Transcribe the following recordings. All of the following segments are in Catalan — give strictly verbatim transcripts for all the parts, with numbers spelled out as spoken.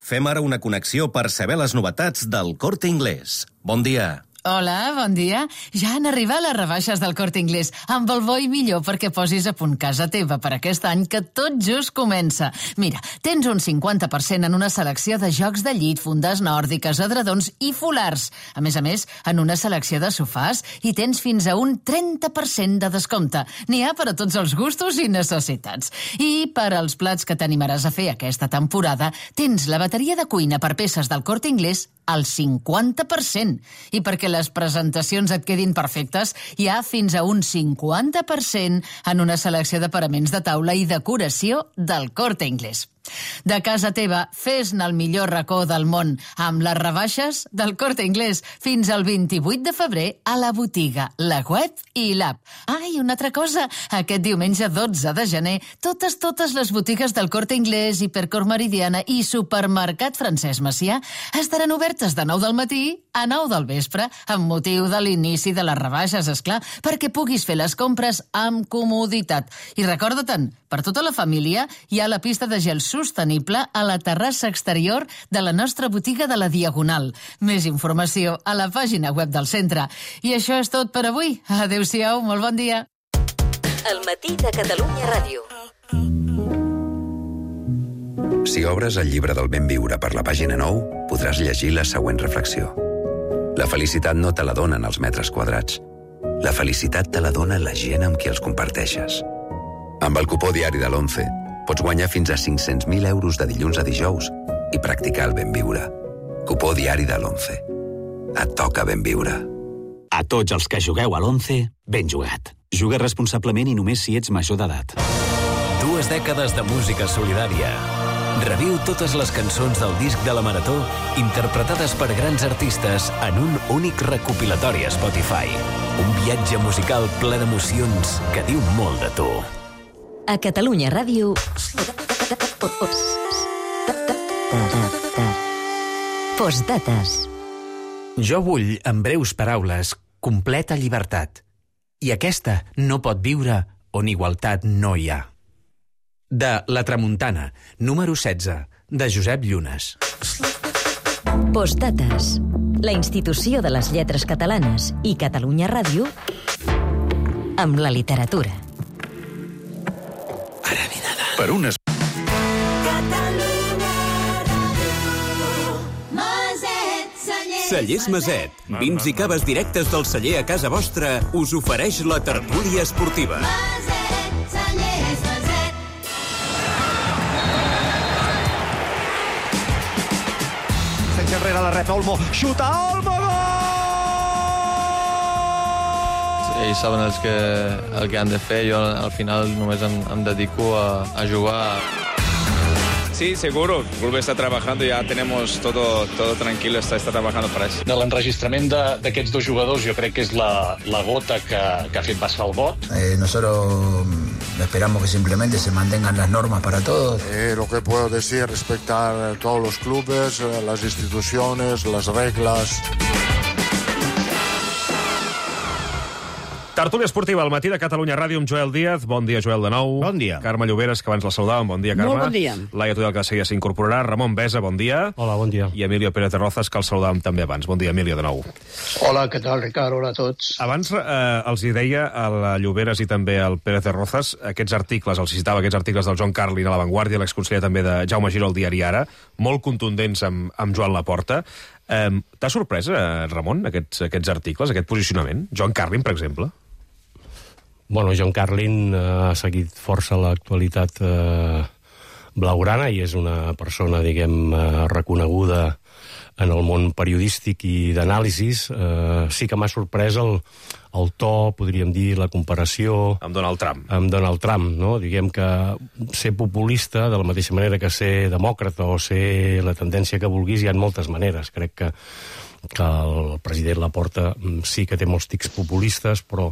Fem ara una connexió per saber les novetats del Corte Inglés. Bon dia. Hola, bon dia. Ja han arribat les rebaixes del Corte Inglés, amb el bo i millor perquè posis a punt casa teva per aquest any que tot just comença. Mira, tens un cinquanta per cent en una selecció de jocs de llit, fundes nòrdiques, edredons i folars. A més a més, en una selecció de sofàs i tens fins a un trenta per cent de descompte. N'hi ha per a tots els gustos i necessitats. I per als plats que t'animaràs a fer aquesta temporada, tens la bateria de cuina per peces del Corte Inglés al cinquanta per cent. I perquè les presentacions et quedin perfectes, hi ha fins a un cinquanta per cent en una selecció de paraments de taula i decoració del Corte Inglés. De casa teva, fes-ne el millor racó del món amb les rebaixes del Corte Inglés fins al vint-i-vuit de febrer a la botiga, la web i l'app. Ah, i una altra cosa, aquest diumenge dotze de gener, totes, totes les botigues del Corte Inglés, Hipercor Meridiana i Supermercat Francesc Macià estaran obertes de nou del matí a nou del vespre, amb motiu de l'inici de les rebaixes, esclar, perquè puguis fer les compres amb comoditat. I recorda-te'n, per tota la família hi ha la pista de gel sostenible a la terrassa exterior de la nostra botiga de la Diagonal. Més informació a la pàgina web del centre. I això és tot per avui. Adéu-siau, molt bon dia. El matí de Catalunya Ràdio. Si obres el llibre del ben viure per la pàgina nou, podràs llegir la següent reflexió. La felicitat no te la donen els metres quadrats. La felicitat te la dona la gent amb qui els comparteixes. Amb el cupó diari de l'Once pots guanyar fins a cinc-cents mil euros de dilluns a dijous i practicar el ben viure. Cupó diari de l'Once. Et toca ben viure. A tots els que jugueu a l'Once, ben jugat. Juga responsablement i només si ets major d'edat. Dues dècades de música solidària. Reviu totes les cançons del disc de la Marató interpretades per grans artistes en un únic recopilatori a Spotify. Un viatge musical ple d'emocions que diu molt de tu. A Catalunya Ràdio... Postdates. Jo vull, en breus paraules, completa llibertat. I aquesta no pot viure on igualtat no hi ha. De La Tramuntana, número setze, de Josep Llunes. Postdates. La institució de les lletres catalanes i Catalunya Ràdio amb la literatura. Per unes... Cellers Maset. Vins i caves directes del celler a casa vostra us ofereix la tertúlia esportiva. Sense enrere la rep Olmo, xuta Olmo, gol! Ells saben els que, el que han de fer, jo al final només em, em dedico a, a jugar. Sí, seguro. El club está trabajando, ya tenemos todo, todo tranquilo, está, está trabajando para eso. De l'enregistrament d'aquests dos jugadors jo crec que és la, la gota que, que ha fet passar el got. Eh, nosotros esperamos que simplemente se mantengan las normas para todos. Eh, lo que puedo decir respecto a todos los clubes, las instituciones, las reglas... Tertúlia esportiva al matí de Catalunya Ràdio amb Joel Díaz. Bon dia, Joel, de nou. Bon dia. Carme Lloberes, que abans la saludàvem. Bon dia, Carme. Molt bon dia. Laia Tudel, que de seguida s'incorporarà. Ramon Besa, bon dia. Hola, bon dia. I Emilio Pérez de Rozas, que el saludàvem també abans. Bon dia, Emilio, de nou. Hola, què tal, Ricard? Hola a tots. Abans eh, els hi deia a la Lloberes i també al Pérez de Rozas aquests articles, els citava aquests articles del John Carlin a La Vanguardia, l'exconseller també de Jaume Giró al diari Ara, molt contundents amb, amb Joan Laporta. Eh, T'ha sorprès, eh, Ramon, aquests, aquests articles, aquest posicionament? John Carlin, per exemple? Bueno, John Carlin ha seguit força l'actualitat eh, blaugrana i és una persona, diguem, eh, reconeguda en el món periodístic i d'anàlisis. Eh, sí que m'ha sorprès el, el to, podríem dir, la comparació... Amb Donald Trump. Amb Donald Trump, no? Diguem que ser populista, de la mateixa manera que ser demòcrata o ser la tendència que vulguis, hi ha moltes maneres. Crec que, que el president Laporta sí que té molts tics populistes, però...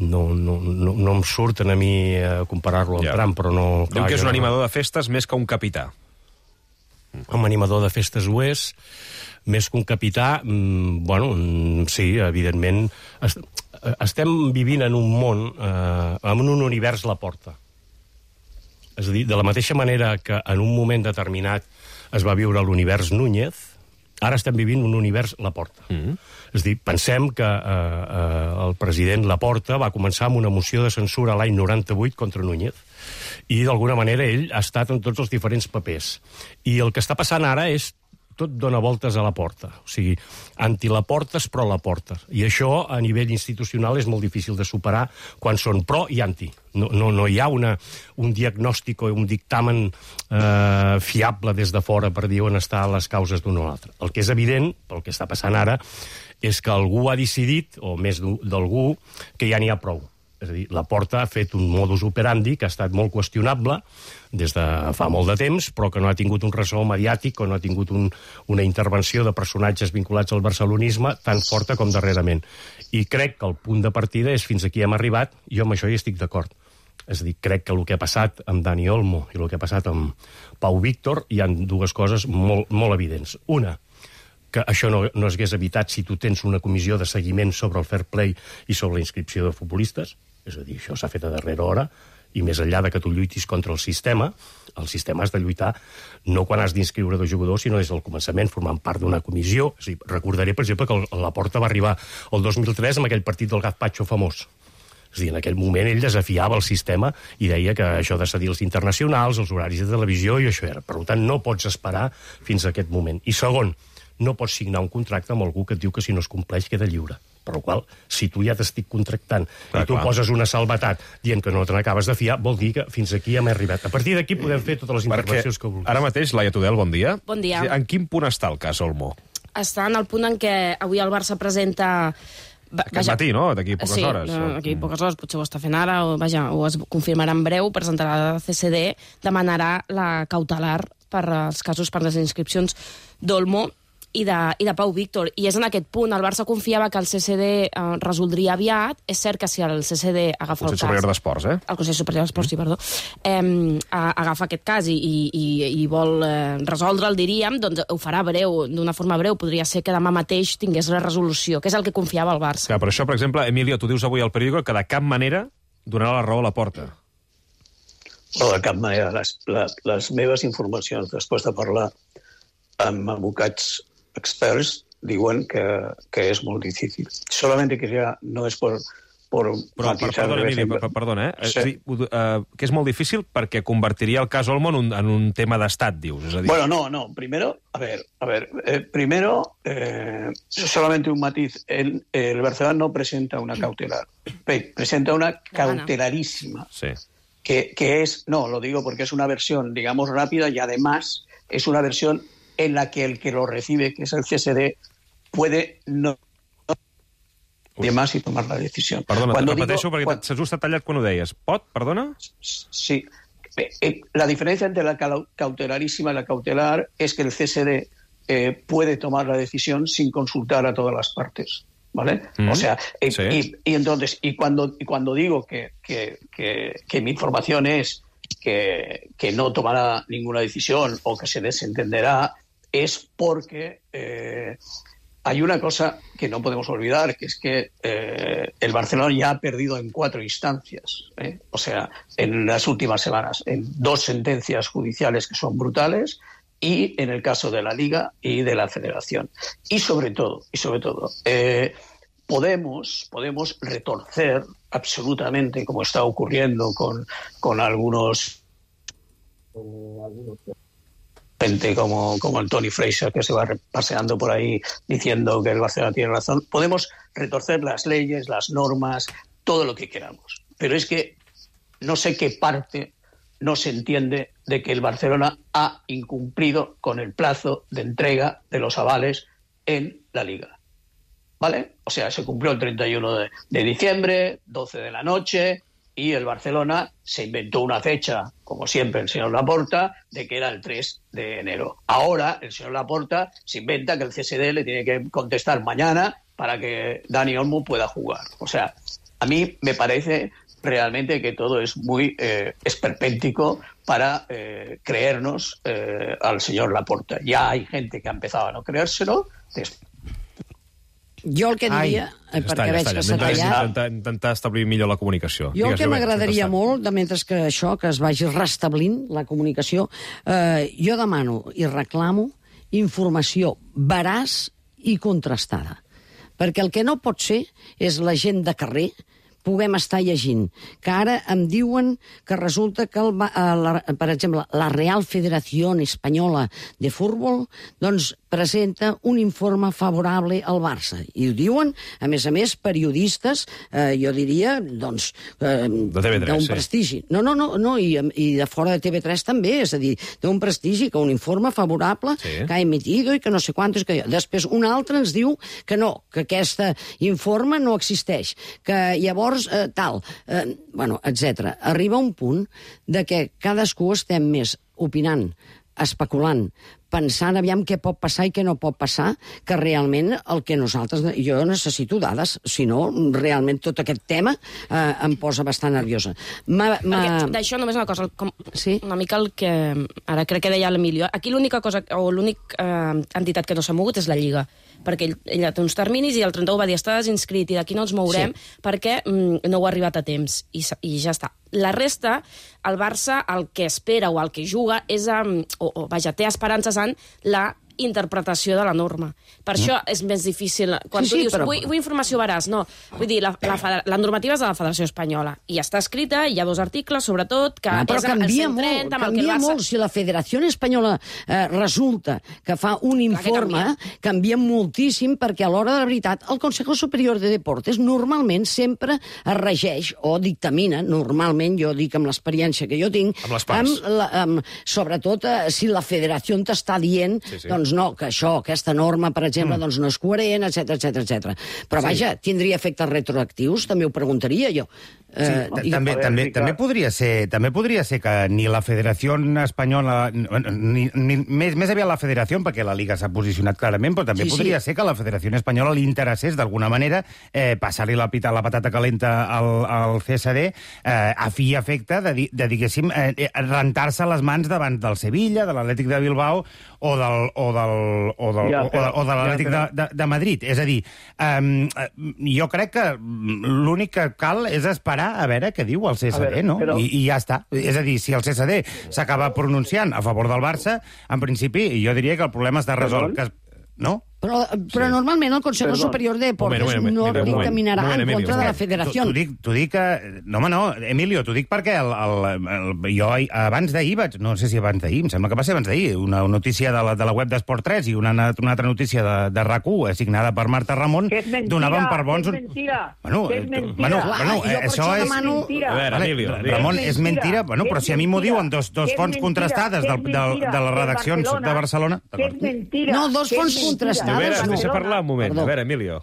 No, no, no, no em surten a mi a comparar-lo amb ja. Trump, però no... Diu que és un no... animador de festes més que un capità. Un animador de festes ho és, més que un capità, mmm, bueno, sí, evidentment. Est estem vivint en un món, eh, en un univers Laporta. És a dir, de la mateixa manera que en un moment determinat es va viure l'univers Núñez, ara estem vivint un univers Laporta. Mm-hmm. És a dir, pensem que eh, eh, el president Laporta va començar amb una moció de censura l'any noranta-vuit contra Núñez, i d'alguna manera ell ha estat en tots els diferents papers. I el que està passant ara és tot dona voltes a la porta. O sigui, anti-Laportes, pro Laporta. I això, a nivell institucional, és molt difícil de superar quan són pro i anti. No, no, no hi ha una, un diagnòstic o un dictamen eh, fiable des de fora per dir on estan les causes d'un o l'altre. El que és evident, pel que està passant ara, és que algú ha decidit, o més d'algú, que ja n'hi ha prou. És a dir, Laporta ha fet un modus operandi que ha estat molt qüestionable des de fa molt de temps, però que no ha tingut un ressò mediàtic o no ha tingut un, una intervenció de personatges vinculats al barcelonisme tan forta com darrerament. I crec que el punt de partida és fins aquí hem arribat, i jo amb això hi estic d'acord. És a dir, crec que el que ha passat amb Dani Olmo i el que ha passat amb Pau Víctor hi ha dues coses molt, molt evidents. Una, que això no, no es hagués evitat si tu tens una comissió de seguiment sobre el fair play i sobre la inscripció de futbolistes. És a dir, això s'ha fet a darrera hora, i més enllà de que tu lluitis contra el sistema, el sistema has de lluitar no quan has d'inscriure dos jugadors, sinó des del començament, formant part d'una comissió. És a dir, recordaré, per exemple, que Laporta va arribar el dos mil tres amb aquell partit del Gazpacho famós. És a dir, en aquell moment ell desafiava el sistema i deia que això de cedir els internacionals, els horaris de televisió, i això era. Per tant, no pots esperar fins a aquest moment. I segon, no pots signar un contracte amb algú que et diu que si no es compleix queda lliure. Per la qual, si tu ja t'estic contractant clar, i tu clar. poses una salvetat dient que no te n'acabes de fiar, vol dir que fins aquí hem arribat. A partir d'aquí podem fer totes les intervencions Perquè que vulguis. Ara mateix, Laia Tudel, bon dia. Bon dia. En quin punt està el cas Olmo? Està en el punt en què avui el Barça presenta... Aquest vaja, matí, no? D'aquí poques sí, hores. Sí, d'aquí poques hores, potser ho està fent ara, o, vaja, ho es confirmarà en breu, presentarà la C C D, demanarà la cautelar per als casos per les inscripcions d'Olmo i de, i de Pau Víctor. I és en aquest punt. El Barça confiava que el C C D eh, resoldria aviat. És cert que si el C C D agafa el cas... Consell Superior d'Esports, eh? El Consell Superior d'Esports, sí, perdó. Eh, agafa aquest cas i, i, i vol eh, resoldre'l, diríem, doncs ho farà breu, d'una forma breu. Podria ser que demà mateix tingués la resolució, que és el que confiava el Barça. Clar, per això, per exemple, Emilio, tu dius avui al periòdico que de cap manera donarà la raó a Laporta. No, de cap manera. Les, les, les meves informacions, després de parlar amb advocats experts, diuen que, que és molt difícil. Solamente que ja no és por, por Però, per, perdona, Emili, per, perdona, eh? Sí. És dir, uh, que és molt difícil perquè convertiria el cas Olmo en un, en un tema d'estat, dius. És a dir... Bueno, no, no. Primero, a ver, a ver, eh, primero, eh, solamente un matiz. El, el Barcelona no presenta una cautelar. Presenta una cautelarísima. Sí. Que, que es, no, lo digo porque es una versión, digamos, rápida y además es una versión en la que el que lo recibe, que es el C S D, puede no de más y tomar la decisión. Perdona, Cuando repeteixo digo, perquè quan... s'ha just tallat quan ho deies. Pot, perdona? Sí. La diferencia entre la cautelarísima y la cautelar es que el C S D eh, puede tomar la decisión sin consultar a todas las partes. ¿Vale? Mm, o sea, eh, sí. y, y entonces, y cuando, y cuando digo que, que, que, que mi información es que, que no tomará ninguna decisión o que se desentenderá, es porque eh, hay una cosa que no podemos olvidar, que es que eh, el Barcelona ya ha perdido en cuatro instancias, ¿eh? O sea, en las últimas semanas, en dos sentencias judiciales que son brutales, y en el caso de la Liga y de la Federación. Y sobre todo, y sobre todo, eh, podemos, podemos retorcer absolutamente, como está ocurriendo con, con algunos, con algunos gente como, como el Tony Fraser, que se va paseando por ahí diciendo que el Barcelona tiene razón. Podemos retorcer las leyes, las normas, todo lo que queramos. Pero es que no sé qué parte no se entiende de que el Barcelona ha incumplido con el plazo de entrega de los avales en la Liga. ¿Vale? O sea, se cumplió el treinta y uno de, de diciembre, doce de la noche, y el Barcelona se inventó una fecha, como siempre el señor Laporta, de que era el tres de enero. Ahora el señor Laporta se inventa que el C S D le tiene que contestar mañana para que Dani Olmo pueda jugar. O sea, a mí me parece realmente que todo es muy eh, esperpéntico para eh, creernos eh, al señor Laporta. Ya hay gente que ha empezado a no creérselo. Jo el que diria, Ai, perquè veig que s'ha tallat... Intentar, intentar establir millor la comunicació. Jo el que m'agradaria molt, de mentre que això, que es vagi restablint la comunicació, eh, jo demano i reclamo informació veraç i contrastada. Perquè el que no pot ser és la gent de carrer puguem estar llegint, que ara em diuen que resulta que, el, la, per exemple, la Real Federació Espanyola de Futbol doncs, presenta un informe favorable al Barça. I ho diuen, a més a més, periodistes, eh, jo diria, doncs, eh, d'un sí. prestigi. No, no, no, no i, i de fora de T V tres també, és a dir, d'un prestigi, que un informe favorable sí. que ha emitido i que no sé quantos... Que... Després un altre ens diu que no, que aquest informe no existeix, que llavors eh, tal, eh, bueno, etcètera. Arriba un punt de que cadascú estem més opinant, especulant, pensant aviam què pot passar i què no pot passar, que realment el que nosaltres... Jo necessito dades, si no, realment tot aquest tema eh, em posa bastant nerviosa. Ma, ma... D'això només una cosa, com, sí? una mica el que... Ara crec que deia l'Emilio. Aquí l'única cosa, o l'única eh, entitat que no s'ha mogut és la Lliga, perquè ell, ella té uns terminis i el trenta-u va dir està desinscrit i d'aquí no ens mourem sí. perquè mm, no ho ha arribat a temps i, i ja està. La resta, el Barça, el que espera o el que juga és, um, o, o vaja, té esperances en la interpretació de la norma. Per mm. això és més difícil. Quan sí, tu sí, dius, però... vull, vull informació veraç, no. Vull dir, la, la, la normativa és de la Federació Espanyola i està escrita, hi ha dos articles, sobretot, que no, però és canvia el molt, cent trenta amb canvia el que el Barça... molt. Si la Federació Espanyola eh, resulta que fa un informe, canvia. canvia moltíssim, perquè a l'hora de la veritat el Consejo Superior de Deportes normalment sempre es regeix o dictamina, normalment, jo dic amb l'experiència que jo tinc, amb les parts. Amb la, amb, sobretot eh, si la Federació t'està dient sí, sí. doncs no, que això, aquesta norma, per exemple, mm. doncs no és coherent, etcètera, etcètera, etcètera. Però sí. vaja, tindria efectes retroactius? També ho preguntaria jo. Sí, eh, també, també, també, podria ser, també podria ser que ni la Federació Espanyola, ni, ni, més, més aviat la Federació, perquè la Liga s'ha posicionat clarament, però també sí, podria sí. ser que la Federació Espanyola li interessés d'alguna manera eh, passar-li la, pita, la patata calenta al, al C S D eh, a fi i efecte de, de diguéssim, eh, rentar-se les mans davant del Sevilla, de l'Atlètic de Bilbao o del, o del, o del, ja, però, o, o de l'Atlètic ja, de, de, de Madrid. És a dir, eh, jo crec que l'únic que cal és esperar a veure què diu el C S D, veure, no? Però... I, I ja està. És a dir, si el C S D s'acaba pronunciant a favor del Barça, en principi, jo diria que el problema està resolt. Que... No? Però, però sí. normalment el Consejo Perdón. Superior de Deportes moment, moment, no moment, dictaminarà moment, en contra Emilio, de la Federació. T'ho dic, dic que... No, home, no, Emilio, t'ho dic perquè el, el, el, jo abans d'ahir vaig... No sé si abans d'ahir, em sembla que va ser abans d'ahir, una notícia de la, de la web d'Esport tres i una, una altra notícia de, de RAC u, assignada per Marta Ramon, mentira, donaven per bons... Que és mentira, bueno, que és mentira. Bueno, bueno, Clar, això és... Demano... A veure, vale, Emilio, Ramon, és mentira, bueno, però si a mi m'ho diuen dos, dos fonts mentira, contrastades del, del, de les redaccions de Barcelona... De Barcelona que és mentira. No, dos fonts contrastades, no. Deixa parlar un moment. Perdó. A ver, Emilio.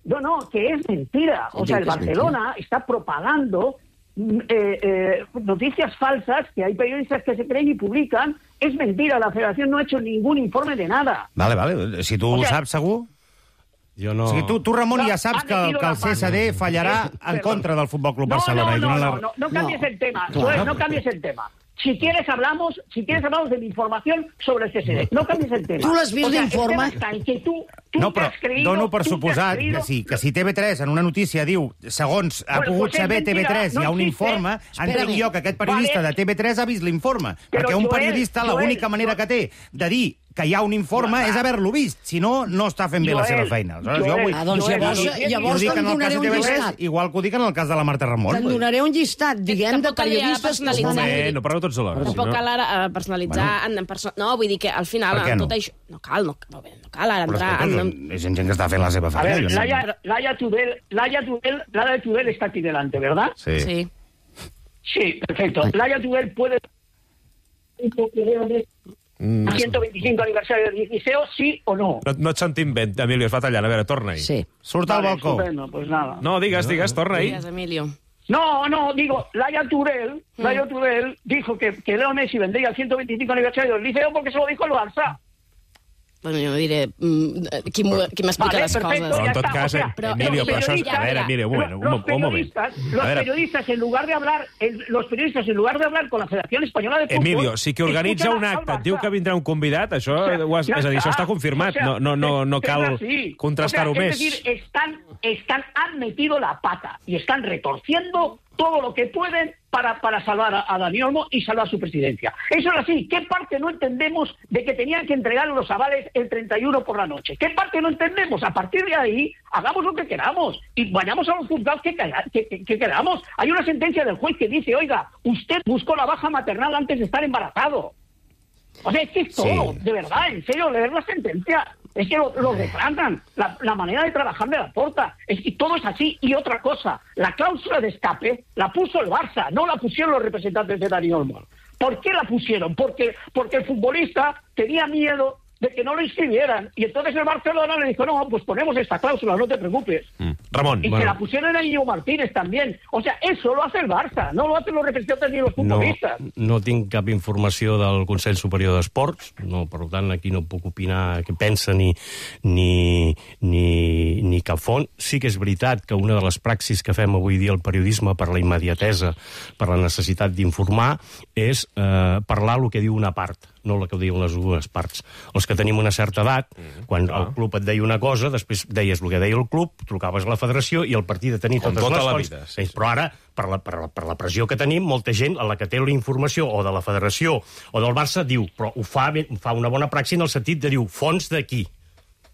No, no, que es mentira. O sea, el Barcelona está propagando eh, eh, noticias falsas que hay periodistas que se creen y publican. Es mentira, la Federación no ha hecho ningún informe de nada. Vale, vale. Si tu o sea, ho saps, segur... Jo no... O sigui, tu, tu Ramon, ja saps que, que el C S D fallarà en contra del Futbol Club Barcelona. No, no, no, no, no, no cambies el tema. Joel, no cambies el tema. Si quieres hablamos, si quieres hablamos de la información sobre el C S D. No cambies el tema. Tu l'has vist, o sea, l'informe? Tu, tu no, però creído, dono per suposat que sí, que si T V tres en una notícia diu, segons ha bueno, pogut pues saber mentira, T V tres, no hi ha un informe, entenc jo que aquest periodista vale. de T V tres ha vist l'informe. Perquè un periodista l'única manera que té de dir que hi ha un informe ja, és haver-lo vist. Si no, no està fent bé Joel, la seva feina. Aleshores, jo vull... Ah, doncs llavors, llavors te'n donaré un llistat. Igual que ho dic en el cas de la Marta Ramon. Te'n donaré un llistat, diguem, de periodistes que estan... Eh, no parleu tots alhora. Tampoc cal ara personalitzar... Bueno. En perso... No, vull dir que al final... Per què no? Tot això... No cal, no, no cal ara entrar... Però en... és gent que està fent la seva feina. A ver, Laia, Laia Tudel, Laia Tudel, Laia Tudel está aquí delante, ¿verdad? Sí. Sí, sí perfecto. Laia Tudel puede... Mm. ciento veinticinco aniversario del Liceo, sí o no? No, no et sentim bé, Emilio, es va tallant. A veure, torna-hi. Sí. Surt al vale, balcó. Estupendo, pues nada. No, digues, digues, torna-hi. Digues, Emilio. No, no, digo, Laia Tudel, mm. Laia Tudel dijo que, que Leo Messi vendría al ciento veinticinco aniversario del Liceo porque se lo dijo el Barça. Bueno, jo no diré mm, qui m'explica Vale, les perfecto, coses. Però en ya tot está. cas, O sea, eh, Emilio, los però això és... periodistas- A veure, Emilio, un moment, un, los un moment. periodistas, A los veure, periodistas, en lugar de hablar, el- los periodistas, en lugar de hablar con la Federación Española de Fútbol... Emilio, si que organitza escuchan un al acte et Barça. diu que vindrà un convidat, això, O sea, ho has, ya és a dir, això está. està confirmat, O sea, no, no, no, no es cal así. contrastar-ho O sea, més. Es decir, están, están, han metido la pata y están retorciendo todo lo que pueden para, para salvar a, a Dani Olmo y salvar su presidencia. Eso es así. ¿Qué parte no entendemos de que tenían que entregar los avales el treinta y uno por la noche? ¿Qué parte no entendemos? A partir de ahí, hagamos lo que queramos y vayamos a los juzgados que, que, que, que queramos. Hay una sentencia del juez que dice, oiga, usted buscó la baja maternal antes de estar embarazado. O sea, es que es todo, Sí. de verdad, en serio, leer la sentencia. Es que lo, lo retratan, la, la manera de trabajar de la Porta, es que todo es así. Y otra cosa, la cláusula de escape la puso el Barça, no la pusieron los representantes de Dani Olmo. ¿Por qué la pusieron? Porque, porque el futbolista tenía miedo de que no lo inscribieran. Y entonces el Barcelona le dijo, no, pues ponemos esta cláusula, no te preocupes. Mm. Ramon, Y bueno. se la pusieron a Íñigo Martínez también. O sea, eso lo hace el Barça, no lo hacen los representantes ni los No, futbolistas. no tinc cap informació del Consell Superior d'Esports, no, per tant, aquí no puc opinar què pensa ni, ni, ni, ni cap font. Sí que és veritat que una de les praxis que fem avui dia al periodisme per la immediatesa, per la necessitat d'informar, és eh, parlar el que diu una part, no el que diuen les dues parts. Els que tenim una certa edat, mm, quan clar. el club et deia una cosa, després deies el que deia el club, trucaves a la federació i el partit de tenir Com totes tota les la fonts. vida, sí, sí. Però ara, per la, per, la, per la pressió que tenim, molta gent a la que té la informació o de la federació o del Barça diu, però ho fa, ben, fa una bona praxi en el sentit de diu, fons d'aquí.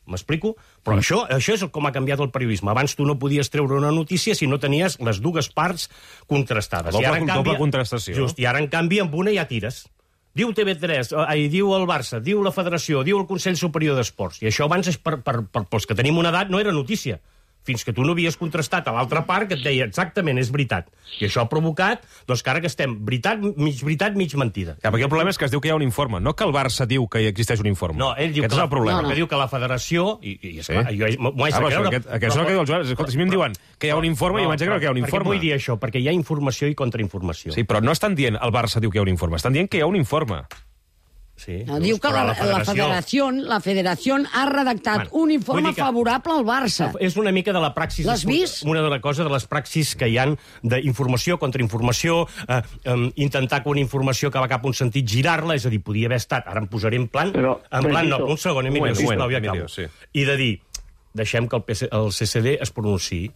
M'explico? Però mm. això, això és com ha canviat el periodisme. Abans tu no podies treure una notícia si no tenies les dues parts contrastades. Doble, I ara, en canvi, doble contrastació. Just, i ara, en canvi, amb una ja tires. Diu T V tres, ai, diu el Barça, diu la Federació, diu el Consell Superior d'Esports. I això abans, és per, per, per, pels que tenim una edat, no era notícia. Fins que tu no havies contrastat a l'altra part que et deia exactament, és veritat. I això ha provocat doncs, que ara que estem veritat, mig veritat, mig mentida. Ja, perquè el problema és que es diu que hi ha un informe, no que el Barça diu que hi existeix un informe. No, ell diu Aquest que, és el problema. no, no. que diu que la federació... I, i és clar, Sí. jo m'ho haig Ah, de però creure... aquest, aquest és el que diu el Joan. Escolta, si a mi em diuen que hi ha un informe, jo m'haig de creure que hi ha un Per què informe. vull dir això? Perquè hi ha informació i contrainformació. Sí, però no estan dient el Barça diu que hi ha un informe, estan dient que hi ha un informe. Sí, No, diu que la, la, federació, la federació ha redactat Bueno, un informe vull dir que- favorable al Barça. És una mica de la praxis... L'has vist? Una de les coses de les praxis que hi han d'informació, contrainformació, eh, eh, intentar que una informació que va cap a un sentit girar-la, és a dir, podia haver estat, ara em posaré en plan... Però, en plan, no, Benito, un segon, Emilio, bueno, sisplau, bueno, ja acabo. Emilio, sí. I de dir, deixem que el, P C, el C C D es pronunciï.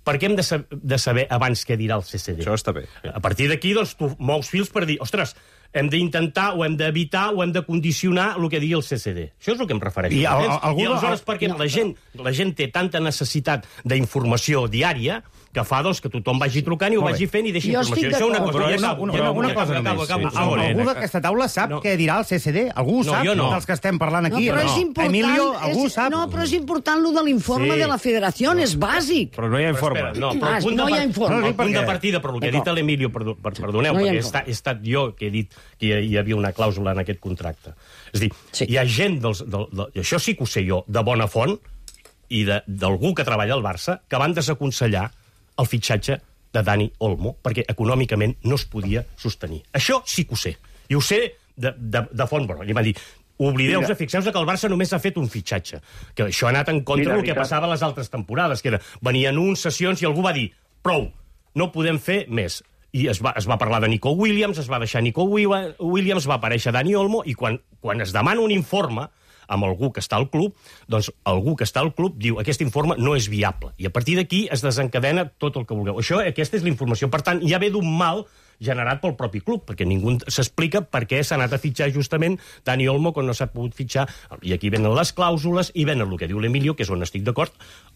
Per què hem de, sab de saber abans què dirà el C C D? Això està bé. A partir d'aquí, doncs, tu mous fils per dir, ostres, hem d'intentar o hem d'evitar o hem de condicionar el que digui el C C D. Això és el que em refereixo. I el- Entens? algú- I aleshores, perquè no, la, gent, la gent té tanta necessitat d'informació diària que fa doncs, que tothom vagi trucant i ho Molt vagi bé. fent i deixi Jo informació. estic Això una d'acord. cosa. Però Ja una, acabo, una, ja una, acabo, una ja cosa acabo, només. acabo, Sí. un segon, Algú eh? d'aquesta taula sap No. què dirà el C C D? Algú ho No, sap? jo no. Dels que estem parlant aquí. No, però és no. important, Emilio, algú és, sap? no, però és important lo de l'informe Sí. de la federació, és bàsic. Però no hi ha informe. Espera, no, però Ah, el punt, no de, hi ha par- informe. el No, sí, punt de perquè- partida, però el que ha dit D'acord. l'Emilio, perdó, per, perdoneu, No hi ha perquè he informe. estat, he estat jo que he dit que hi, hi havia una clàusula en aquest contracte. És a dir, Sí. hi ha gent, dels, del, del, i això sí que ho sé jo, de bona font, i de- d'algú que treballa al Barça, que van desaconsellar el fitxatge de Dani Olmo, perquè econòmicament no es podia sostenir. Això sí que ho sé. I ho sé de, de, de font, però li van dir, oblideu-vos, fixeu-vos que el Barça només ha fet un fitxatge, que això ha anat en contra Mira, del que Ricard. passava a les altres temporades, que era, venien uns sessions i algú va dir, prou, no podem fer més. I es va, es va parlar de Nico Williams, es va deixar Nico Wi- Williams, va aparèixer Dani Olmo, i quan, quan es demana un informe amb algú que està al club, doncs algú que està al club diu aquest informe no és viable. I a partir d'aquí es desencadena tot el que vulgueu. Això, aquesta és la informació. Per tant, ja ve d'un mal generat pel propi club, perquè ningú s'explica per què s'ha anat a fitxar justament Dani Olmo quan no s'ha pogut fitxar. I aquí venen les clàusules i venen el que diu l'Emilio, que és on estic d'acord.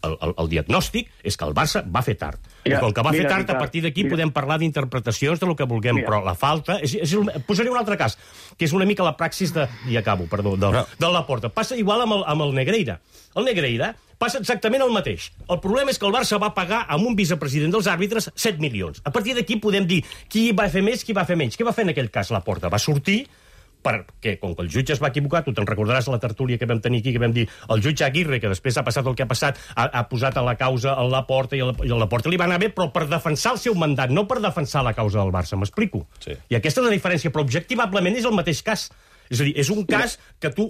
El, el, el diagnòstic és que el Barça va fer tard. Mira, I com que va mira, fer tard, Ricard, a partir d'aquí mira. podem parlar d'interpretacions de lo que vulguem, Mira. però la falta... És, és, posaré un altre cas, que és una mica la praxis de... I acabo, perdó, de, de Laporta. Passa igual amb el, amb el Negreira. El Negreira passa exactament el mateix. El problema és que el Barça va pagar amb un vicepresident dels àrbitres set milions. A partir d'aquí podem dir qui va fer més, qui va fer menys. Què va fer en aquell cas Laporta? Va sortir perquè, com que el jutge es va equivocar, tu te'n recordaràs la tertúlia que vam tenir aquí, que vam dir el jutge Aguirre, que després ha passat el que ha passat, ha, ha posat a la causa a Laporta, i a la, i a Laporta li va anar bé, però per defensar el seu mandat, no per defensar la causa del Barça, m'explico? Sí. I aquesta és la diferència, però objectivablement és el mateix cas. És a dir, és un cas que tu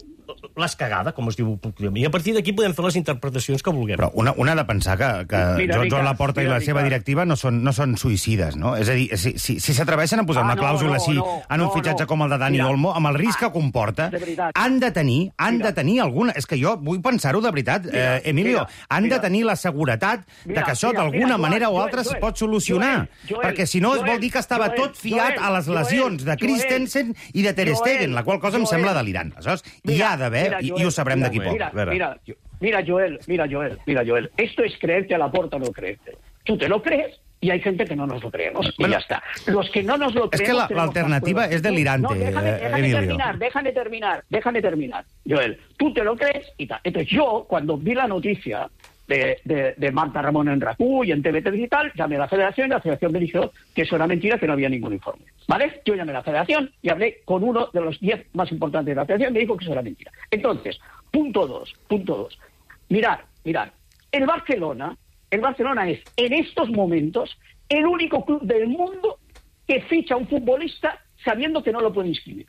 l'has cagada, com es diu, i a partir d'aquí podem fer les interpretacions que vulguem. Però una, una ha de pensar que, que Mira, Joan Ricard, Laporta i mira, la seva Ricard. directiva no són, no són suïcides, no? És a dir, si si, si s'atreveixen a posar Ah, una no, clàusula no, així no, en un no, fitxatge no. com el de Dani Mira. Olmo, amb el risc que comporta, de veritat. han de tenir, han de tenir alguna... És que jo vull pensar-ho de veritat, Mira, eh, Emilio, mira, han mira. de tenir la seguretat de Mira, que això mira, d'alguna mira, manera o Joel, altra es Joel, pot solucionar. Joel, Joel, perquè si no es vol Joel, dir que estava Joel, tot fiat Joel, a les lesions de Joel, Christensen i de Ter Joel, Stegen, la qual cosa em Joel. sembla delirant. Aleshores, hi Mira, ha d'haver, mira, i, Joel, i ho sabrem mira, d'aquí poc. Mira, A veure. mira, mira, Joel, mira, Joel, mira, Joel. Esto es creerte a la porta o no creerte. Tú te lo crees y hay gente que no nos lo creemos. Y Bueno, ya está. Los que no nos lo es creemos... que la- la tenemos alternativa más pruebas. es delirante, No, déjame, eh, déjame Emilio. terminar, déjame terminar, déjame terminar. Joel, tú te lo crees y tal. Entonces yo, cuando vi la noticia de, de, de Marta Ramón en RACU y en T V tres y tal, llamé a la Federación y la Federación me dijo que eso era mentira, que no había ningún informe. ¿Vale? Yo llamé a la Federación y hablé con uno de los diez más importantes de la Federación y me dijo que eso era mentira. Entonces, punto dos, punto dos. Mirad, mirad, el Barcelona, el Barcelona es en estos momentos el único club del mundo que ficha a un futbolista sabiendo que no lo puede inscribir.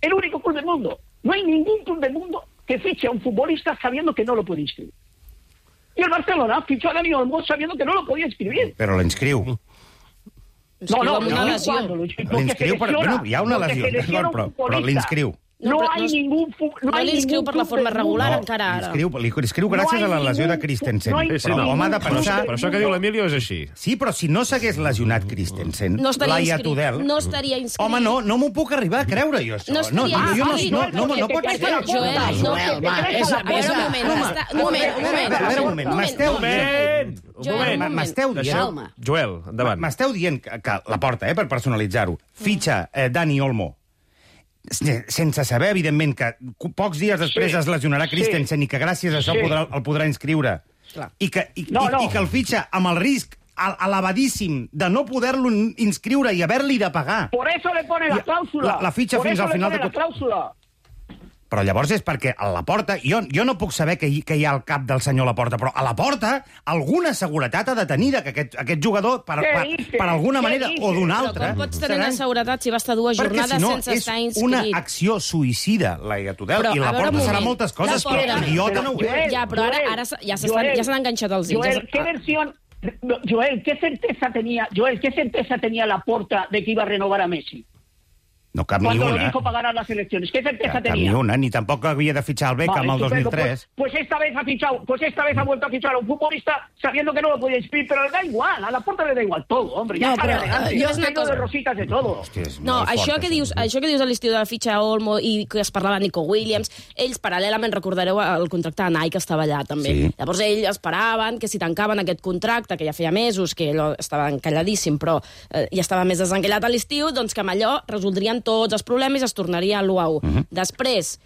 El único club del mundo. No hay ningún club del mundo que fiche a un futbolista sabiendo que no lo puede inscribir. Y el Barcelona fichó a Dani Olmo sabiendo que no lo podía inscribir. Però l'inscriu. No, no, amb una no, lesió. cuando lo- porque L'inscriu, se per... lesiona, Bueno, hi ha una porque lesió, se lesiona d'acord, un però, però futbolista. l'inscriu. No, No, però hay no es- ningún fu- no no hay l'inscriu ningún per la club forma del regular mundo. encara ara. L'inscriu, l'inscriu gràcies No a la hay lesió de ningún- Christensen. no hay però ningún home ha de club pensar... del Però això que diu l'Emilio és així. Sí, però si no s'hagués lesionat Christensen, No estaria Laia inscrit. Tudel... No estaria inscrit. Home, no, no m'ho puc arribar a creure, jo, això. No estaria no, jo no, inscrit. no, no, no, no pot Porque ser. te- te- Joel, te- no, te- Joel, te- va, te- és- te- A veure, un moment, Home, està, un moment, un moment. A veure, un moment, m'esteu un dient... Joel, un moment. M'esteu dient... Calma. Joel, endavant. M'esteu dient que, que la porta, eh, per personalitzar-ho, fitxa eh, Dani Olmo, se- sense saber, evidentment, que pocs dies després Sí, es lesionarà sí. Christensen i que gràcies a això Sí. podrà, el podrà inscriure. Clar. I que, i, No, i, no. i que el fitxa amb el risc al- elevadíssim de no poder-lo inscriure i haver-li de pagar. Por eso le pone la I- clàusula. la- la fitxa Por fins eso al le final pone de la tot. clàusula. Però llavors és perquè a la porta... Jo, jo no puc saber què hi, què hi ha al cap del senyor Laporta, però a la porta alguna seguretat ha de tenir de que aquest, aquest jugador, per, Què per, dices? per alguna Què manera o d'una Però altra... com pots tenir serà- una seguretat si va estar dues Perquè jornades si no sense és estar inscrit? una acció suïcida, Laia Tudel, Però, i a la veure, porta un serà moment. moltes coses, La però porta- idiota Però, no ho és. Joel, Ja, però ara, Joel, ara ja s'estan Joel, ja s'han enganxat els dits. Joel, Ja- ¿qué versión... no, Joel, ¿qué certeza tenía, Joel, qué certeza tenía Laporta de que iba a renovar a Messi? No cap ni Cuando lo una. dijo para ganar las elecciones. ¿Qué certeza Cap tenía? ni una, ni tampoc havia de fitxar el Beckham Vale, el dos mil estupendo. tres. Pues, pues esta vez ha fichado, pues esta vez ha vuelto a fichar a un futbolista sabiendo que no lo podía inscribir, pero le da igual, a la puerta le da igual todo, hombre, ya No, está però, elegante, eh, yo jo- estoy lleno de rositas de todo. Hòstia, és No, molt això fort, que, dius, això que dius a l'estiu de la fitxa Olmo i que es parlava de Nico Williams, ells paral·lelament, recordareu el contracte de Nike que estava allà també. Sí. Llavors ells esperaven que si tancaven aquest contracte, que ja feia mesos que allò estava encalladíssim, però eh, ja estava més desencallat a l'estiu, doncs que amb allò resoldrien tots els problemes i es tornaria a l'U A U. Uh-huh. Després,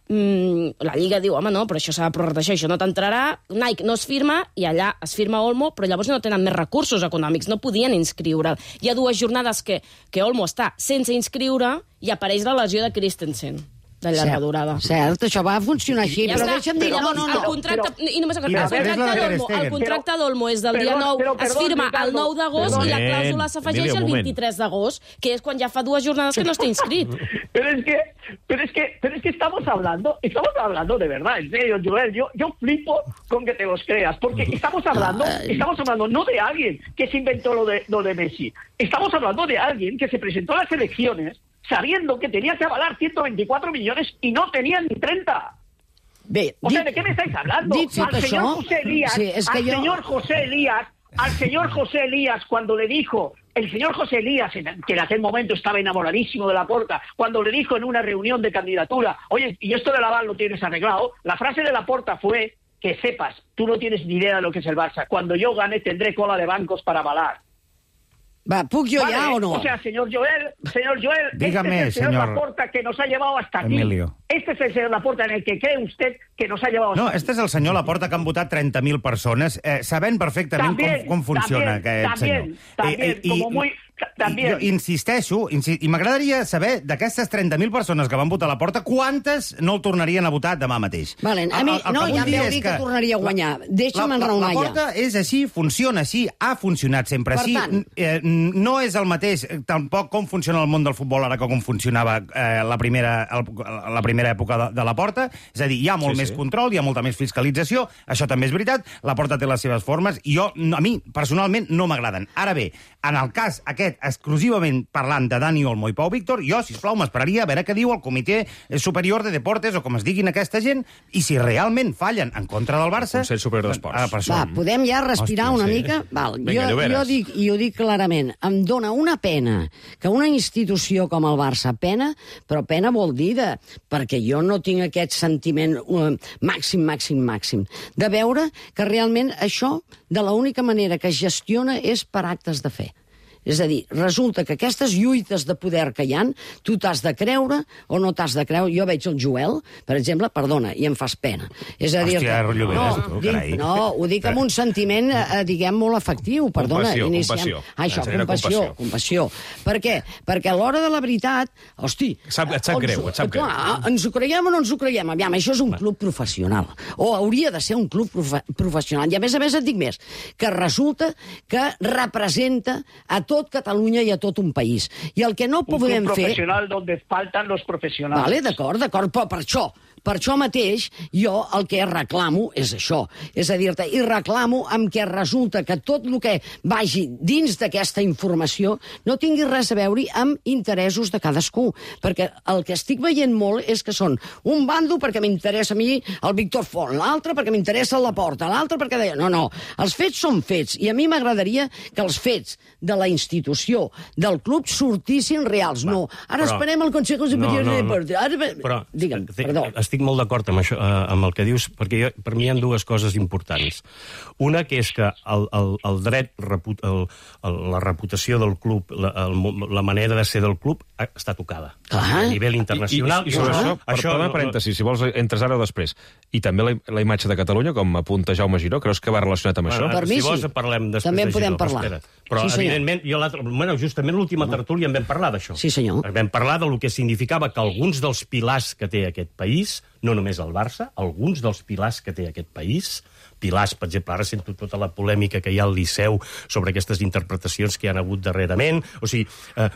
mm, la Lliga diu, home, no, però això s'ha de prorratejar, això no t'entrarà, Nike no es firma, i allà es firma Olmo, però llavors no tenen més recursos econòmics, no podien inscriure. Hi ha dues jornades que, que Olmo està sense inscriure i apareix la lesió de Christensen, de llarga durada. Cert, això va funcionar així, Ja però està. deixa'm dir... Però, No, no, no. El contracte, Però- i només el, I el després contracte la de Ter d'Olmo, el Stegen. contracte d'Olmo és del dia Perdó, nou, però, es perdó, firma el Ricardo. nou d'agost Perdó. i la clàusula s'afegeix Emilio, un el moment. vint-i-tres d'agost, que és quan ja fa dues jornades que no està inscrit. Pero es que, pero es que, pero es que estamos hablando, estamos hablando de verdad, en serio, Joel, yo, yo flipo con que te los creas, porque estamos hablando, estamos hablando no de alguien que se inventó lo de, lo de Messi, estamos hablando de alguien que se presentó a las elecciones sabiendo que tenía que avalar ciento veinticuatro millones y no tenían ni treinta. Bé, O sea, ¿de qué me estáis hablando? dit tot Al señor això, José Elías, sí, és que al jo... señor José Elías, al señor José Elías, cuando le dijo, el señor José Elías, en- que en aquel momento estaba enamoradísimo de Laporta, cuando le dijo en una reunión de candidatura, oye, y esto del aval lo tienes arreglado, la frase de Laporta fue, que sepas, tú no tienes ni idea de lo que es el Barça, cuando yo gane tendré cola de bancos para avalar. Va, puc jo Vale, ja o no? O sea, señor Joel, señor Joel, Dígame, este es el señor, señor Laporta que nos ha llevado hasta aquí. Emilio. Este es el señor Laporta en el que cree usted que nos ha llevado hasta No, aquí. este és el senyor Laporta que han votat trenta mil persones, eh, sabent perfectament También, com, com funciona también, aquest también, senyor. También, I, i, como muy, També. Jo insisteixo, insi i m'agradaria saber d'aquestes trenta mil persones que van votar a la porta, quantes no el tornarien a votar demà mateix? Valen, a mi, no, ja em veu dir que tornaria a guanyar. Deixa'm enraonar ja. La porta és així, funciona així, ha funcionat sempre així. Eh, no és el mateix, tampoc com funciona el món del futbol ara que com funcionava eh, la, primera, el, la primera època de, de la porta. És a dir, hi ha molt sí, més sí. control, hi ha molta més fiscalització, això també és veritat, la porta té les seves formes, i jo, a mi, personalment, no m'agraden. Ara bé, en el cas aquest, exclusivament parlant de Dani Olmo i Pau Víctor, jo, sisplau, m'esperaria a veure què diu el Comitè Superior de Deportes, o com es diguin aquesta gent, i si realment fallen en contra del Barça... El Consell Superior d'Esports. Va, podem ja respirar Hòstia, una sí. mica? Val, Vinga, jo, jo dic, i ho dic clarament, em dóna una pena que una institució com el Barça, pena, però pena vol dir de... perquè jo no tinc aquest sentiment uh, màxim, màxim, màxim, de veure que realment això, de l'única manera que es gestiona és per actes de fe. És a dir, resulta que aquestes lluites de poder que hi ha, tu t'has de creure o no t'has de creure. Jo veig el Joel, per exemple, perdona, i em fas pena. És a dir, Hòstia, que... Lloberes, no, tu, dic, no, ho dic amb un sentiment, eh, diguem, molt efectiu. Perdona, compassió, iniciem... compassió. Ah, això, compassió, compassió, compassió. Per què? Perquè a l'hora de la veritat, hosti... Sap, et sap greu, et sap greu. Clar, ens ho creiem o no ens ho creiem? Aviam, això és un club professional. O hauria de ser un club profe professional. I a més a més et dic més, que resulta que representa a tot Catalunya i a tot un país. I el que no podem fer... Un club professional fer... donde faltan los profesionals. Vale, d'acord, d'acord, però per això... Per això mateix, jo el que reclamo és això. És a dir-te, i reclamo amb què resulta que tot el que vagi dins d'aquesta informació no tingui res a veure amb interessos de cadascú. Perquè el que estic veient molt és que són un bando perquè m'interessa a mi el Víctor Font, l'altre perquè m'interessa la Porta, l'altre perquè deia... No, no, els fets són fets. I a mi m'agradaria que els fets de la institució, del club, sortissin reals. Va, no, ara però, esperem el Consejo Superior no, no, de Deportes. Ara... Però, Digue'm, estic, perdó. Estic molt d'acord amb, això, amb el que dius, perquè jo, per mi hi ha dues coses importants. Una, que és que el, el, el dret, reput, el, el, la reputació del club, la, el, la manera de ser del club, està tocada. Ah. A nivell internacional. I, i, i sobre ah. això, per això no, parèntesis, si vols, entres ara o després. I també la, la imatge de Catalunya, com apunta Jaume Giró, creus que va relacionat amb bueno, això? Per mi si vols, sí. parlem després també de podem Giró, parlar. Espera. Però, sí, evidentment, jo bueno, justament l'última tertúlia en vam parlar d'això. Sí, senyor. Vam parlar del que significava que alguns dels pilars que té aquest país, no només el Barça, alguns dels pilars que té aquest país, pilars, per exemple, ara sento tota la polèmica que hi ha al Liceu sobre aquestes interpretacions que hi ha hagut darrerament, o sigui, eh,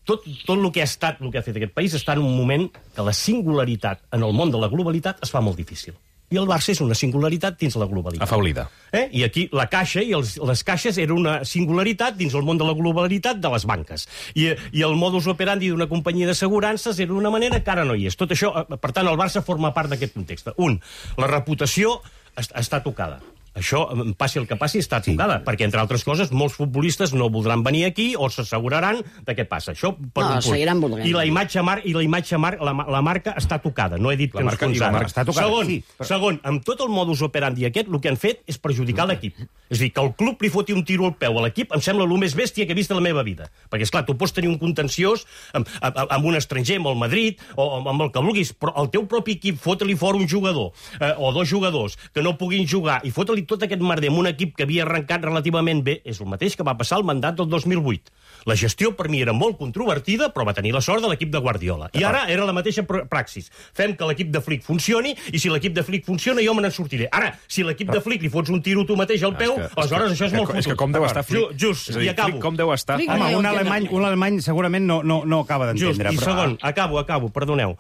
tot, tot el que ha estat, el que ha fet aquest país està en un moment que la singularitat en el món de la globalitat es fa molt difícil. I el Barça és una singularitat dins la globalitat. Afaulida. Eh? I aquí la caixa i els, les caixes era una singularitat dins el món de la globalitat de les banques. I, i el modus operandi d'una companyia d'assegurances era una manera que ara no hi és. Tot això, per tant, el Barça forma part d'aquest context. Un, la reputació est està tocada. Això, passi el que passi, està tocada, sí. Perquè, entre altres coses, molts futbolistes no voldran venir aquí o s'asseguraran de què passa. Això per no, un seguiran volent. I la imatge, mar i la, imatge mar la, la marca està tocada. No he dit la que marca, ens la marca està tocada. Segon, sí, però... segon, amb tot el modus operandi aquest, el que han fet és perjudicar l'equip. És a dir, que el club li foti un tiro al peu a l'equip em sembla el més bèstia que he vist a la meva vida. Perquè, esclar, tu pots tenir un contenciós amb, amb, amb un estranger, amb el Madrid, o amb el que vulguis, però el teu propi equip fota-li fora un jugador, eh, o dos jugadors, que no puguin jugar, i fota-li tot aquest merder amb un equip que havia arrencat relativament bé, és el mateix que va passar al mandat del dos mil vuit. La gestió per mi era molt controvertida, però va tenir la sort de l'equip de Guardiola. I ara era la mateixa praxis. Fem que l'equip de Flick funcioni, i si l'equip de Flick funciona, jo me n'en sortiré. Ara, si l'equip de Flick li fots un tiro tu mateix al peu, que, aleshores això és molt fotut. És que com deu estar Flick? Just, dir, i acabo. Flick com deu estar? Home, un alemany, un alemany segurament no, no, no acaba d'entendre. Just, i segon, acabo, acabo, perdoneu.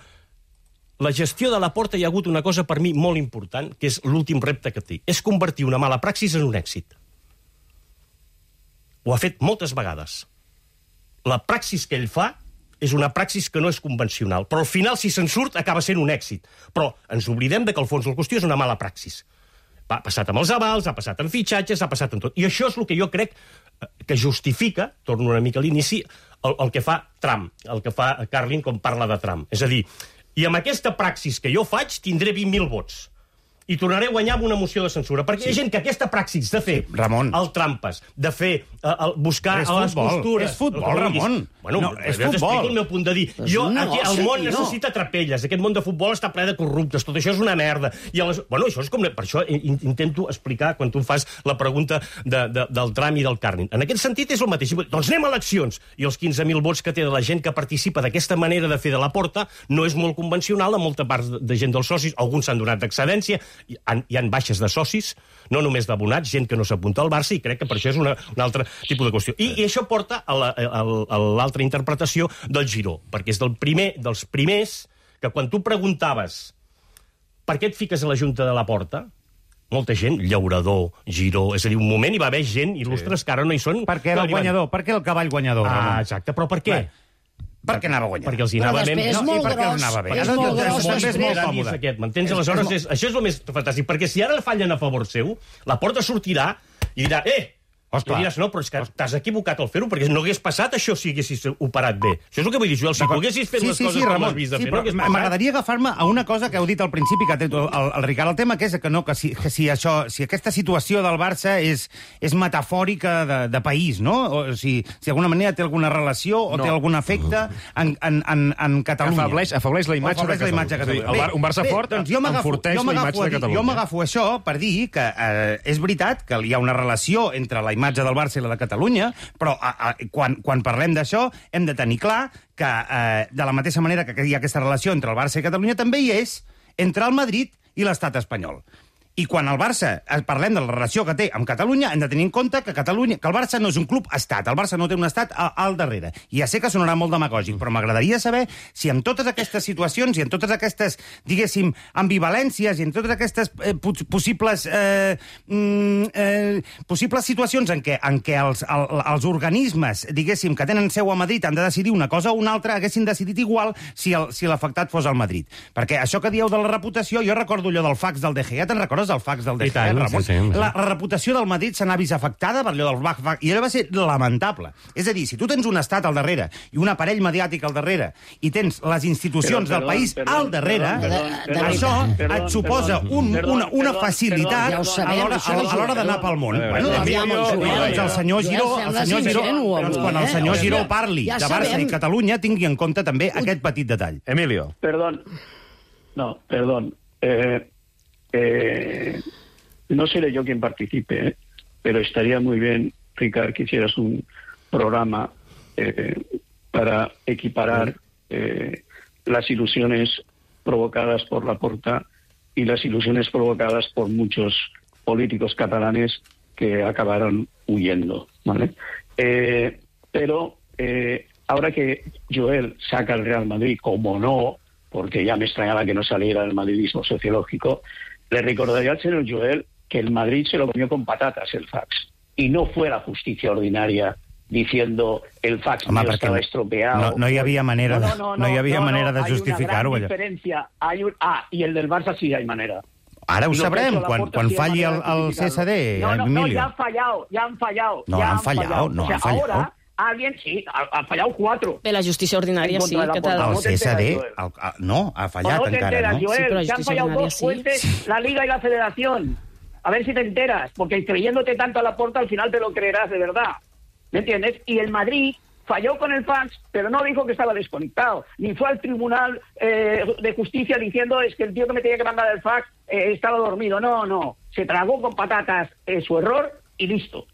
La gestió de la Porta hi ha hagut una cosa per mi molt important, que és l'últim repte que té. És convertir una mala praxis en un èxit. Ho ha fet moltes vegades. La praxis que ell fa és una praxis que no és convencional, però al final, si se'n surt, acaba sent un èxit. Però ens oblidem de que el fons de la qüestió és una mala praxis. Ha passat amb els avals, ha passat amb fitxatges, ha passat amb tot. I això és el que jo crec que justifica, torno una mica a l'inici, el, el que fa Trump, el que fa Carlin quan parla de Trump. És a dir, i amb aquesta praxis que jo faig tindré vint mil vots. i tornaré a guanyar amb una moció de censura. Perquè sí. Hi ha gent que aquesta praxis de fer sí, el trampes, de fer, uh, el, buscar a les costures... És futbol, Ramon. Bueno, no, és jo t'explico el meu punt de dir. Jo, aquí, el món no. necessita trapelles. Aquest món de futbol està ple de corruptes. Tot això és una merda. I les... Bueno, això és com... Per això intento explicar, quan tu em fas la pregunta de, de, del tram i del càrning. En aquest sentit és el mateix. Doncs anem a eleccions. I els quinze mil vots que té de la gent que participa d'aquesta manera de fer de la Porta no és molt convencional a molta part de gent dels socis. Alguns s'han donat d'excedència. Hi ha, hi ha baixes de socis, no només d'abonats, gent que no s'apunta al Barça, i crec que per això és una, un altre tipus de qüestió. I, i això porta a l'altra interpretació del Giró, perquè és del primer, dels primers que quan tu preguntaves per què et fiques a la Junta de la Porta, molta gent, Llaurador, Giró... És a dir, un moment hi va haver gent il·lustres sí. que ara no hi són... Per què era el guanyador? Per què el cavall guanyador? Ah, Ramon? exacte, però per què? Clar. Perquè anava guanyant. Perquè els hi anava ben... És molt gros. És molt gros. És molt còmode. Aquest, m'entens? Aleshores, és, això és el més fantàstic. Perquè si ara fallen a favor seu, la Porta sortirà i dirà, eh, i diràs, no, però és que t'has equivocat al fer-ho, perquè no hagués passat això si haguessis operat bé. Això és el que vull dir, Joel, si poguessis fet sí, les sí, coses sí, com has vist de sí, fer, no hagués passat. M'agradaria agafar-me a una cosa que heu dit al principi, que ha tret el, el, el Ricard al tema, que és que, no, que, si, que si, això, si aquesta situació del Barça és, és metafòrica de, de país, no? O si, si d'alguna manera té alguna relació o no. té algun efecte en, en, en, en Catalunya. Afableix, afableix la imatge afableix de Catalunya. De Catalunya. Sí, el, un Barça bé, fort doncs enforteix la imatge de Catalunya. Jo m'agafo això per dir que eh, és veritat que hi ha una relació entre la imatge del Barça i la de Catalunya, però a, a, quan, quan parlem d'això hem de tenir clar que eh, de la mateixa manera que hi ha aquesta relació entre el Barça i Catalunya també hi és entre el Madrid i l'estat espanyol. I quan el Barça, parlem de la relació que té amb Catalunya, hem de tenir en compte que Catalunya, que el Barça no és un club estat, el Barça no té un estat al darrere. I ja sé que sonarà molt demagògic, però m'agradaria saber si en totes aquestes situacions i en totes aquestes, diguéssim, ambivalències i en totes aquestes eh, possibles eh, eh, possibles situacions en què, en què els, el, els organismes, diguéssim, que tenen seu a Madrid han de decidir una cosa o una altra, haguessin decidit igual si el, si l'afectat fos al Madrid. Perquè això que dieu de la reputació, jo recordo allò del fax del De Gea, te'n recordes el fax del De Gea, Ramon? Sí, sí, la, la reputació del Madrid se n'ha vist afectada per allò del fax, i allò va ser lamentable. És a dir, si tu tens un estat al darrere i un aparell mediàtic al darrere i tens les institucions però, perdó, del país perdó, al darrere, perdó, perdó, això perdó, et suposa un, una, una facilitat perdó, perdó, a l'hora d'anar pel món. Bueno, doncs el senyor Giró, el senyor Giró, doncs quan el senyor Giró parli de Barça i Catalunya, tingui en compte també aquest petit detall. Emilio. Perdón. No, perdón. Eh... Eh, no seré yo quien participe, ¿eh? Pero estaría muy bien, Ricard, que hicieras un programa eh, para equiparar eh, las ilusiones provocadas por Laporta y las ilusiones provocadas por muchos políticos catalanes que acabaron huyendo, ¿vale? Eh, pero eh, ahora que Joel saca al Real Madrid, como no, porque ya me extrañaba que no saliera el madridismo sociológico, le recordaría al señor Joel que el Madrid se lo comió con patatas el fax. Y no fue la justicia ordinaria diciendo el fax Home, estaba estropeado. No, no hi havia manera, no, no, no, de, no hi havia no, manera no, de justificar-ho. Hay una gran diferencia. Hay un, ah, y el del Barça sí hay manera. Ara ho sabrem, quan, quan falli el, el C S D, no, no, Emilio. No, ya han fallado, ya han fallado. No, ya han fallado, fallado. no, o sea, han fallado. Ahora, alguien, sí, ha, ha fallado cuatro. Bé, la justícia ordinària sí. Que el C S D, el, no, ha fallat no encara, enteras, no? Joel, sí, però que han fallado dos sí. jueces, la Liga y la Federación. A ver si te enteras, porque creyéndote tanto a Laporta, al final te lo creerás de verdad. ¿Me entiendes? Y el Madrid falló con el fax, pero no dijo que estaba desconectado, ni fue al Tribunal eh, de Justicia diciendo es que el tío que me tenía que mandar el fax eh, estaba dormido. No, no, se tragó con patatas eh, su error y listo.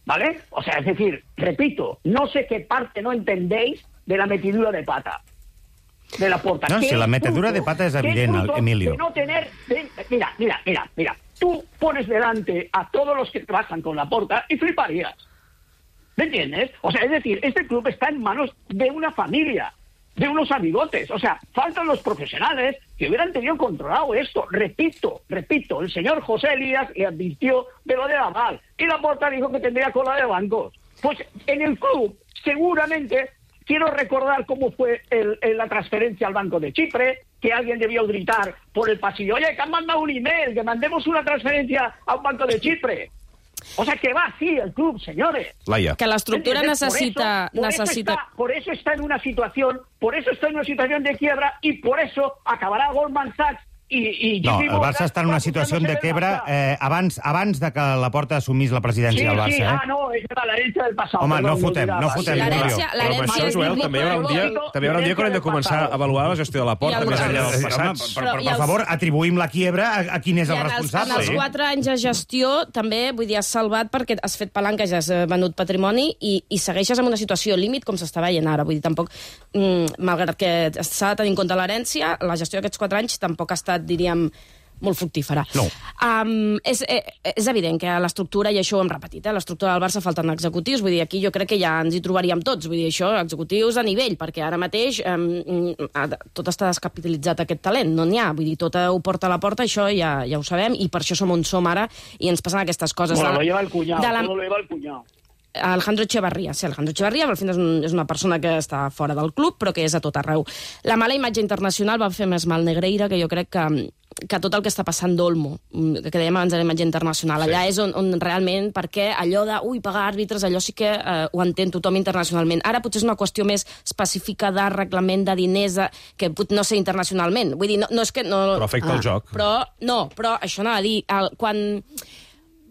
¿Vale? O sea, es decir, repito, no sé qué parte no entendéis de la metidura de pata de Laporta. No, si la metedura de pata és evident, Emilio. De no tener, de, mira, mira, mira, mira, tú pones delante a todos los que trabajan con Laporta y fliparías. ¿Me entiendes? O sea, es decir, este club está en manos de una familia, de unos amigotes. O sea, faltan los profesionales que hubieran tenido controlado esto. Repito, repito, el señor José Elías le advirtió de lo de Aval y Laporta dijo que tendría cola de bancos. Pues en el club, seguramente, quiero recordar cómo fue el, el, la transferencia al Banco de Chipre, que alguien debió gritar por el pasillo, oye, que han mandado un email, que mandemos una transferencia a un Banco de Chipre. O sea, que va así el club, señores. Laia. Que l'estructura necessita... Por eso, por, necessita... Eso está, por eso está en una situación, por eso está en una situación de quiebra y por eso acabará Goldman Sachs i, i No, el Barça està en una situació de quebra eh, abans, abans de que la Porta assumís la presidència sí, del Barça. Sí, eh? ah, no, és la herencia del passat. Home, no perdó, fotem, no fotem. L'herència Però per això, Joel, també hi haurà un dia, també hi haurà un dia que haurem de començar a avaluar la gestió de la Porta, més enllà dels passats. Per, per, per favor, atribuïm la quiebra a, a quin és el responsable. En els quatre anys de gestió, també, vull dir, has salvat perquè has fet palanques, has venut patrimoni i, i segueixes en una situació límit com s'està veient ara. Vull dir, tampoc, mm, malgrat que s'ha de tenir en compte l'herència, la gestió d'aquests quatre anys tampoc ha estat, diríem, molt fructífera. No. Um, és, és evident que l'estructura, i això ho hem repetit, eh, l'estructura del Barça falten executius, vull dir, aquí jo crec que ja ens hi trobaríem tots, vull dir, això, executius a nivell, perquè ara mateix um, tot està descapitalitzat aquest talent, no n'hi ha, vull dir, tot ho porta a la porta, això ja, ja ho sabem, i per això som on som ara, i ens passen aquestes coses. Bueno, de la, lo lleva el cunyau, de la, todo lo lleva el cunyau. Alejandro Echevarría, sí, Alejandro Echevarría, al final és, un, és una persona que està fora del club, però que és a tot arreu. La mala imatge internacional va fer més mal Negreira, que jo crec que, que tot el que està passant d'Olmo, que dèiem abans de la imatge internacional, allà sí. és on, on realment, perquè allò de, ui, pagar àrbitres, allò sí que eh, ho entén tothom internacionalment. Ara potser és una qüestió més específica de reglament de diners, de, que pot no ser internacionalment. Vull dir, no, no és que... No, però afecta ah. el joc. Però, no, però això anava a dir, el, quan...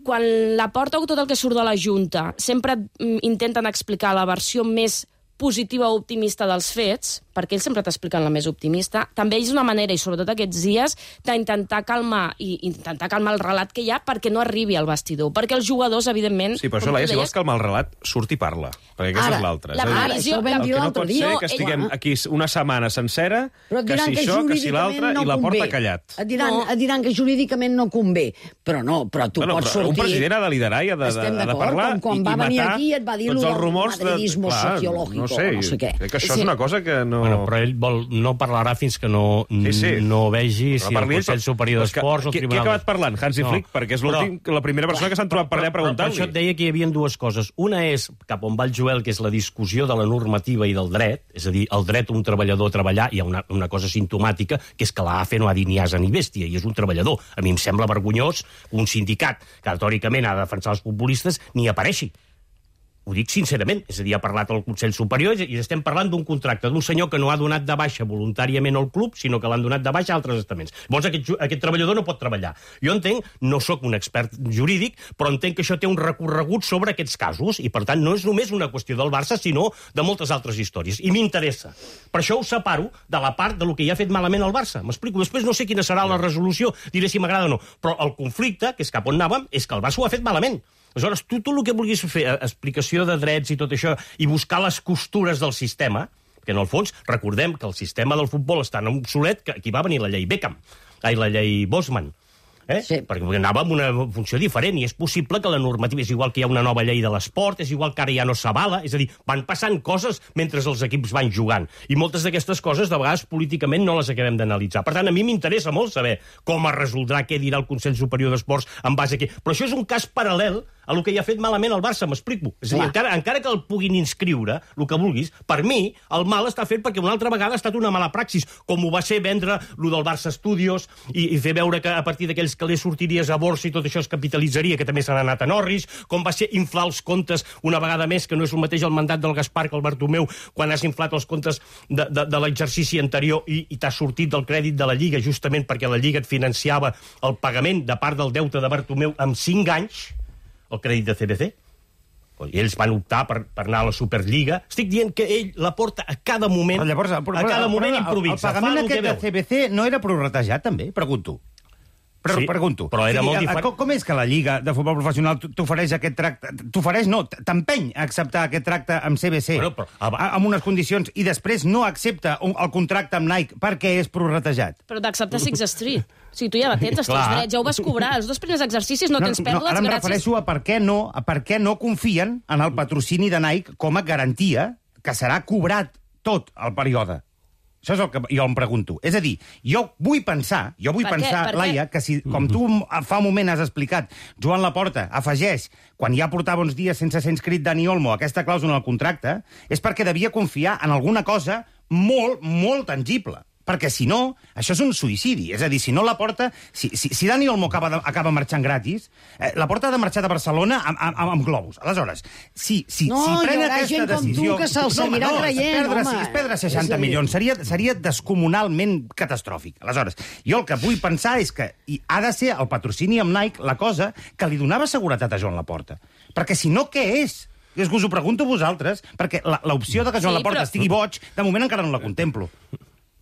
quan la Porta o tot el que surt de la Junta sempre intenten explicar la versió més positiva o optimista dels fets, perquè ells sempre t'expliquen la més optimista, també és una manera, i sobretot aquests dies, d'intentar calmar i intentar calmar el relat que hi ha perquè no arribi al vestidor, perquè els jugadors, evidentment... Sí, però això, Laia, si vols calmar el relat, surt i parla, perquè aquesta ara, és l'altra. La previsió, el que no pot ser que estiguem aquí una setmana sencera, que si això, que si l'altre, i la Porta callat. Et diran, no. et diran que jurídicament no convé, però no, però tu bueno, pots però sortir... Un president ha de liderar i ha de, de, de parlar com quan i, va i venir matar aquí et va dir tots els rumors del madridismo sociológico, no sé, no sé què. Crec que això sí. és una cosa que no... Bueno, però ell vol, no parlarà fins que no, sí, sí. no vegi si el Consell Superior d'Esports o el Tribunal... Qui ha acabat parlant? Hansi Flick, no. perquè és l'últim, la primera persona que s'han trobat per allà a preguntar-li. Per això et deia que hi havia dues coses. Una és, cap on va el Joel, que és la discussió de la normativa i del dret, és a dir, el dret d'un treballador a treballar, hi ha una, una cosa simptomàtica, que és que l'A F no ha dit ni asa ni bèstia, i és un treballador. A mi em sembla vergonyós un sindicat que, teòricament, ha de defensar els populistes, ni apareixi. Ho dic sincerament, és a dir, ha parlat el Consell Superior i estem parlant d'un contracte d'un senyor que no ha donat de baixa voluntàriament al club, sinó que l'han donat de baixa a altres estaments. Llavors aquest, aquest treballador no pot treballar. Jo entenc, no sóc un expert jurídic, però entenc que això té un recorregut sobre aquests casos i, per tant, no és només una qüestió del Barça, sinó de moltes altres històries. I m'interessa. Per això ho separo de la part de lo que ja ha fet malament el Barça. M'explico. Després no sé quina serà la resolució, diré si m'agrada o no. Però el conflicte, que és cap on anàvem, és que el Barça ho ha fet malament. Aleshores, tu tot el que vulguis fer, explicació de drets i tot això, i buscar les costures del sistema, que en el fons, recordem que el sistema del futbol és tan obsolet que aquí va venir la llei Beckham, ai, la llei Bosman, eh? Sí. Perquè anava amb una funció diferent i és possible que la normativa és igual que hi ha una nova llei de l'esport, és igual que ara ja no s'avala, és a dir, van passant coses mentre els equips van jugant i moltes d'aquestes coses de vegades políticament no les acabem d'analitzar. Per tant, a mi m'interessa molt saber com es resoldrà, què dirà el Consell Superior d'Esports en base a què. Però això és un cas paral·lel a el que hi ha fet malament el Barça, m'explico. És a dir, encara, encara que el puguin inscriure, el que vulguis, per mi, el mal està fet perquè una altra vegada ha estat una mala praxis, com ho va ser vendre lo del Barça Studios i, i fer veure que a partir d'aquells calés sortiries a borsa i tot això es capitalitzaria, que també s'han anat a Norris, com va ser inflar els comptes una vegada més, que no és el mateix el mandat del Gaspar que el Bartomeu, quan has inflat els comptes de, de, de l'exercici anterior i, i t'has sortit del crèdit de la Lliga, justament perquè la Lliga et financiava el pagament de part del deute de Bartomeu amb cinc anys, el crèdit de C B C. I ells van optar per, per anar a la Superliga. Estic dient que ell la porta a cada moment, però llavors, però, a cada moment improvisa. El, el pagament aquest de C B C no era prorratejat, també? Pregunto. Però, sí, pregunto. Però era sí, molt diferent. Com, com és que la Lliga de Futbol Professional t'ofereix aquest tracte? T'ofereix, no, t'empeny a acceptar aquest tracte amb C B C, bueno, però, ah, amb unes condicions, i després no accepta un, el contracte amb Nike perquè és prorratejat? Però d'acceptar Six Street. O sigui, tu ja tens els teus drets, ja ho vas cobrar. Els dos primers exercicis no, no tens pèrdues, no, ara em gràcies... refereixo a per què no, a per què no confien en el patrocini de Nike com a garantia que serà cobrat tot el període. Això és el que jo em pregunto. És a dir, jo vull pensar, jo vull pensar, Laia, que si, com tu fa un moment has explicat, Joan Laporta afegeix, quan ja portava uns dies sense ser inscrit Dani Olmo, aquesta clàusula al contracte, és perquè devia confiar en alguna cosa molt, molt tangible. perquè si no, això és un suïcidi. És a dir, si no la Porta... Si, si, si Dani Olmo acaba, de, acaba marxant gratis, eh, la Porta ha de marxar de Barcelona amb, amb, amb globus. Aleshores, si, si, no, si pren hi haurà aquesta gent com decisió... tu que se'l seguirà no, creient, és perdre, home. És perdre seixanta milions. Seria, seria descomunalment catastròfic. Aleshores, jo el que vull pensar és que i ha de ser el patrocini amb Nike la cosa que li donava seguretat a Joan Laporta. Perquè si no, què és? És que us ho pregunto a vosaltres, perquè l'opció de que Joan Sí, Laporta però- estigui boig, de moment encara no la contemplo.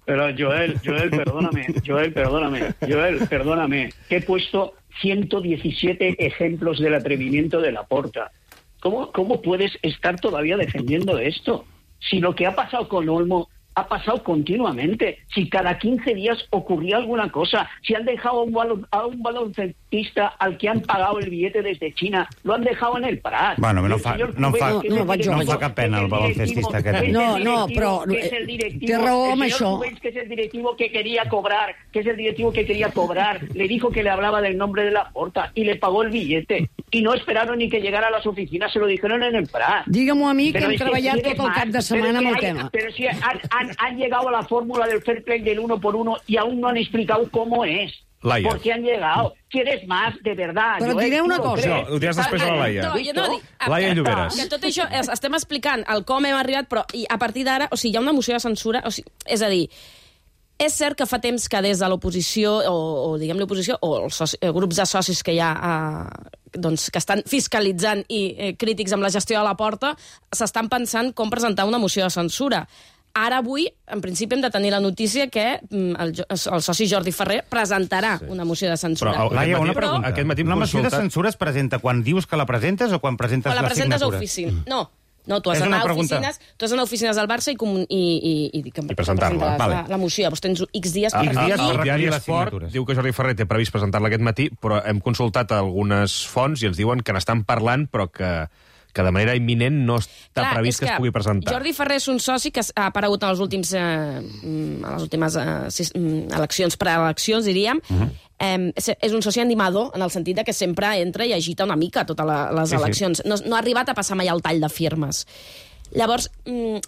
Pero Joel, Joel, perdóname, Joel, perdóname, Joel, perdóname, que he puesto ciento diecisiete ejemplos del atrevimiento de Laporta. ¿Cómo, ¿Cómo puedes estar todavía defendiendo esto? Si lo que ha pasado con Olmo ha pasado continuamente, si cada quince días ocurría alguna cosa, si han dejado a un, balon, a un baloncestista al que han pagado el billete desde China, lo han dejado en el Prat. Bueno, no El fa, señor no em fa, Cubell, que no, es el no, directivo, em fa cap pena el que es el baloncestista directivo, aquest. que es No, el no, directivo, però, que es el eh, directivo, té raó el amb señor això. Cubell, que es el directivo que quería cobrar, que es el directivo que quería cobrar, le dijo que le hablaba del nombre de Laporta y le pagó el billete. Y no esperaron ni que llegara a las oficinas, se lo dijeron en el Prat. Digue-m'ho a mi, que Pero hem es treballat quieres tot el más, cap de pero setmana es amb que el hay- tema. Pero si han, han, han llegado a la fórmula del fair play del uno por uno y aún no han explicado cómo es. Laia. ¿Por qué han llegado? ¿Quieres más, de verdad? Però et Joel? diré una ¿Tú lo cosa. crees? Això, ho diràs després de la Laia. No, jo no dic... Laia que- Lloberes. Que tot això, es- estem explicant el com hem arribat, però i a partir d'ara, o sigui, hi ha una moció de censura, o sigui, és a dir, és cert que fa temps que des de l'oposició, o, o diguem l'oposició, o els soci, eh, grups de socis que hi ha, eh, doncs, que estan fiscalitzant i eh, crítics amb la gestió de la Porta, s'estan pensant com presentar una moció de censura. Ara, avui, en principi, hem de tenir la notícia que mm, el, jo- el soci Jordi Ferrer presentarà sí. una moció de censura. Però, Laia, Aquest una matí- pregunta. aquest matí hem Una moció de consultat- censura es presenta quan dius que la presentes o quan presentes Quan la les presentes a signatures? oficina. No, no, tu has És una d'anar a pregunta. oficines, tu has d'anar a oficines del Barça i, comun- i, i, i, i, I presentar-la. la, Vale. la, la moció. Llavors tens X dies El, per X el, dies fer-la. per el diari recollir les Esport signatures. diu que Jordi Ferrer té previst presentar-la aquest matí, però hem consultat algunes fonts i ens diuen que n'estan parlant, però que, que de manera imminent no està Clar, previst és que es pugui presentar. Jordi Ferrer és un soci que ha aparegut en els últims, eh, mm, a les últimes eh, sis, mm, eleccions, preeleccions, diríem. Uh -huh. eh, és, és un soci animador, en el sentit de que sempre entra i agita una mica totes la, les Sí, sí. eleccions. No, no ha arribat a passar mai el tall de firmes. Llavors, mm,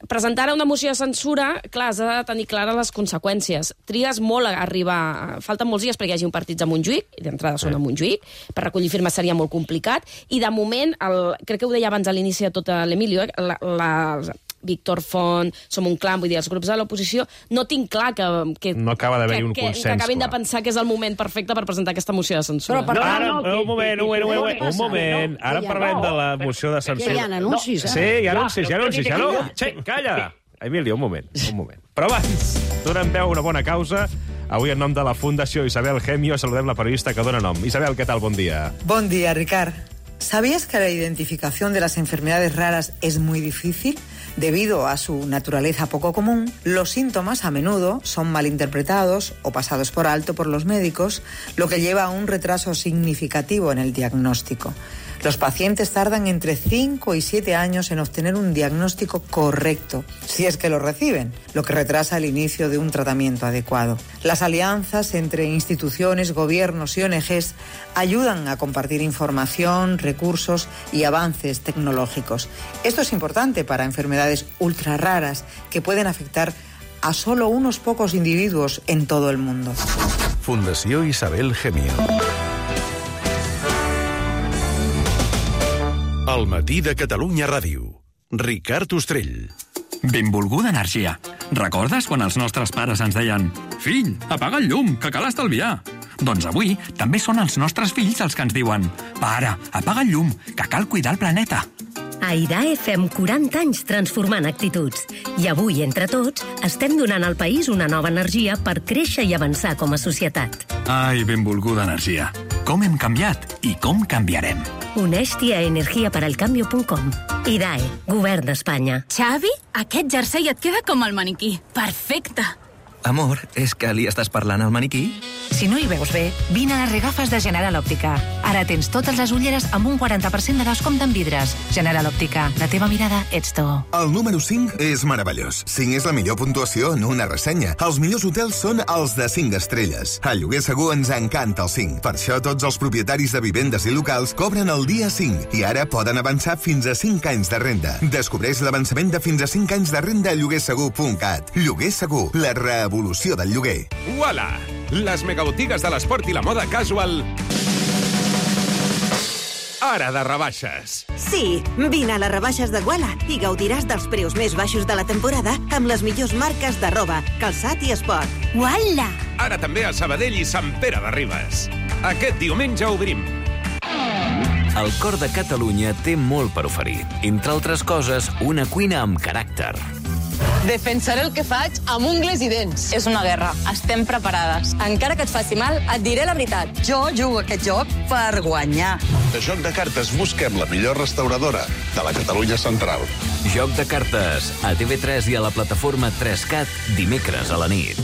presentar ara una moció de censura, clar, has de tenir clares les conseqüències. Trigues molt a arribar... Falten molts dies perquè hi hagi un partit a Montjuïc, i d'entrada són a Montjuïc, per recollir firmes seria molt complicat, i de moment, el, crec que ho deia abans a l'inici de tot l'Emilio, eh, la, la, Víctor Font, Som un clan, vull dir, els grups de l'oposició, no tinc clar que... que No acaba d'haver-hi un que, consens, Que acabin clar. de pensar que és el moment perfecte per presentar aquesta moció de censura. Però per tant, Ara, no, que- un moment, que- un moment, un moment, que- un moment. Ara que- parlem no, de la moció de Que censura. hi ha anuncis, eh? Sí, hi ha Clar, anuncis, hi ha però anuncis, ja no? mira, Sí, calla! Emilio, un moment, un moment. Però abans, donem peu a una bona causa. Avui, en nom de la Fundació Isabel Gemio, saludem la periodista que dona nom. Isabel, què tal? Bon dia. Buen día, Ricard. ¿Sabías que la identificación de las enfermedades raras es muy difícil? Debido a su naturaleza poco común, los síntomas a menudo son malinterpretados o pasados por alto por los médicos, lo que lleva a un retraso significativo en el diagnóstico. Los pacientes tardan entre cinco y siete años en obtener un diagnóstico correcto, si es que lo reciben, lo que retrasa el inicio de un tratamiento adecuado. Las alianzas entre instituciones, gobiernos y O N Ges ayudan a compartir información, recursos y avances tecnológicos. Esto es importante para enfermedades ultra raras que pueden afectar a solo unos pocos individuos en todo el mundo. Fundació Isabel Gemio. El matí de Catalunya Ràdio. Ricard Ostrell. Benvolguda energia. Recordes quan els nostres pares ens deien «Fill, apaga el llum, que cal estalviar»? Doncs avui també són els nostres fills els que ens diuen «Pare, apaga el llum, que cal cuidar el planeta». A IDAE fem quaranta anys transformant actituds. I avui, entre tots, estem donant al país una nova energia per créixer i avançar com a societat. Ai, benvolguda energia. Com hem canviat i com canviarem. Uneix-t'hi a energia per al cambio punt com. IDAE, Govern d'Espanya. Xavi, aquest jersei et queda com el maniquí. Perfecte. Amor, és que li estàs parlant al maniquí? Si no hi veus bé, vine a les regafes de General Òptica. Ara tens totes les ulleres amb un quaranta per cent de descompte en vidres. General Òptica, la teva mirada ets tu. El número cinc és meravellós. cinc és la millor puntuació en una ressenya. Els millors hotels són els de cinc estrelles. A Lloguer Segur ens encanta el cinc. Per això tots els propietaris de vivendes i locals cobren el dia cinc i ara poden avançar fins a cinc anys de renda. Descobreix l'avançament de fins a cinc anys de renda a lloguer segur punt cat. Lloguer Segur, la revolució del lloguer. Uala! Les megabotigues de l'esport i la moda casual ara de rebaixes. Sí, vine a les rebaixes de Guala i gaudiràs dels preus més baixos de la temporada amb les millors marques de roba, calçat i esport. Guala! Ara també a Sabadell i Sant Pere de Ribes. Aquest diumenge obrim. El cor de Catalunya té molt per oferir. Entre altres coses, una cuina amb caràcter. Defensaré el que faig amb ungles i dents. És una guerra. Estem preparades. Encara que et faci mal, et diré la veritat. Jo jugo aquest joc per guanyar. De Joc de Cartes busquem la millor restauradora de la Catalunya central. Joc de Cartes, a T V tres i a la plataforma tres cat, dimecres a la nit.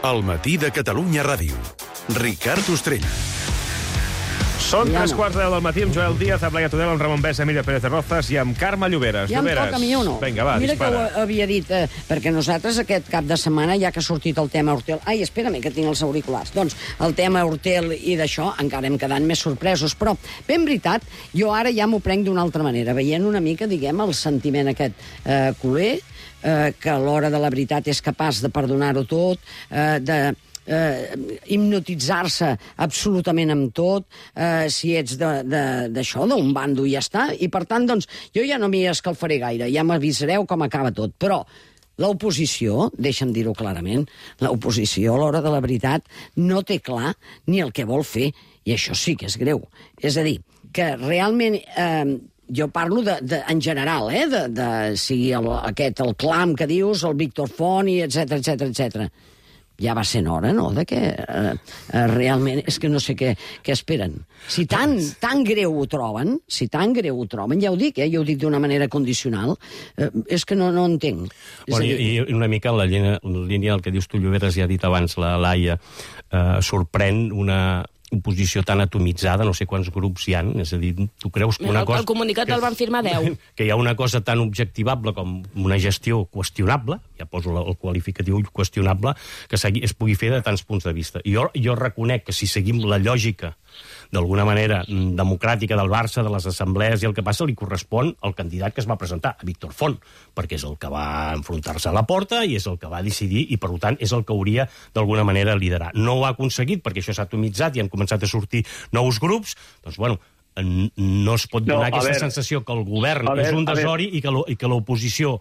El matí de Catalunya Ràdio. Ricard Ostrell. Són Ja tres no. quarts de deu del matí amb Joel Díaz, amb Laia Tudela, amb Ramon Bessa, Emília Pérez de Rozas i amb Carme Lloberes. Ja em Lloberes. toca a mi o no? Vinga, va, Mira dispara. que ho havia dit, eh, perquè nosaltres aquest cap de setmana, ja que ha sortit el tema Hortel... Ai, espera't, que tinc els auriculars. Doncs el tema Hortel i d'això encara hem quedat més sorpresos, però ben veritat, jo ara ja m'ho prenc d'una altra manera, veient una mica, diguem, el sentiment aquest eh, culer, eh, que a l'hora de la veritat és capaç de perdonar-ho tot, eh, de... Eh, hipnotitzar-se absolutament amb tot, eh, si ets d'això, d'un bando i ja està, i per tant, doncs, jo ja no m'hi escalfaré gaire, ja m'avisareu com acaba tot, però l'oposició, deixa'm dir-ho clarament, l'oposició a l'hora de la veritat no té clar ni el que vol fer, i això sí que és greu. És a dir, que realment... Eh, jo parlo de, de, en general, eh, de, de si el, aquest, el clam que dius, el Víctor Font, i etcètera, etcètera, etcètera. Ja va ser hora, no?, de que eh, eh, realment és que no sé què, què esperen. Si tan, tan greu ho troben, si tan greu ho troben, ja ho dic, eh, ja ho dic d'una manera condicional, eh, és que no, no entenc. Bueno, dir... i, I una mica en la línia, en la línia del que dius tu, Lloberes, ja ha dit abans la Laia, eh, sorprèn una oposició tan atomitzada, no sé quants grups hi ha, és a dir, tu creus que una el, cosa... El comunicat que, el van firmar deu. Que hi ha una cosa tan objectivable com una gestió qüestionable, ja poso el qualificatiu qüestionable, que es pugui fer de tants punts de vista. I jo, jo reconec que si seguim la lògica d'alguna manera democràtica del Barça, de les assemblees i el que passa, li correspon al candidat que es va presentar, a Víctor Font, perquè és el que va enfrontar-se a la porta i és el que va decidir i, per tant, és el que hauria d'alguna manera liderar. No ho ha aconseguit perquè això s'ha atomitzat i han començat a sortir nous grups, doncs, bueno, no es pot donar no, aquesta veure, sensació que el govern veure, és un desori i que l'oposició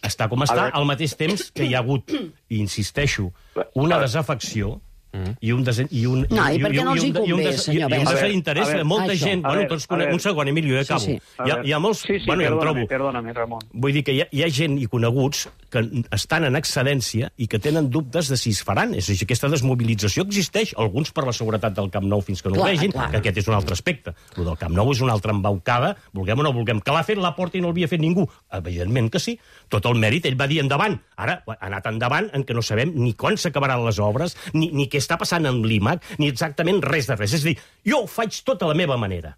està com està, al mateix temps que hi ha hagut, i insisteixo, una desafecció Mm. i un desen... i un no, i, i per què no els hi convé, senyor Bessa? I un desinterès de molta això. gent. Bueno, tots conec... Un segon, Emilio, ja acabo. Sí, sí. Hi, ha, hi ha molts... Sí, sí, bueno, perdóname, trobo... perdóname, Ramon. Vull dir que hi ha, hi ha gent i coneguts que estan en excedència i que tenen dubtes de si es faran. És a dir, aquesta desmobilització existeix, alguns per la seguretat del Camp Nou fins que no clar, ho vegin, clar. Que aquest és un altre aspecte. El del Camp Nou és una altra embaucada, vulguem o no vulguem. Que l'ha fet la Porta i no l'havia fet ningú? Evidentment que sí. Tot el mèrit, ell va dir endavant. Ara ha anat endavant en què no sabem ni quan s'acabaran les obres, ni, ni què està passant amb l'I M A C, ni exactament res de res. És a dir, jo ho faig tot a la meva manera.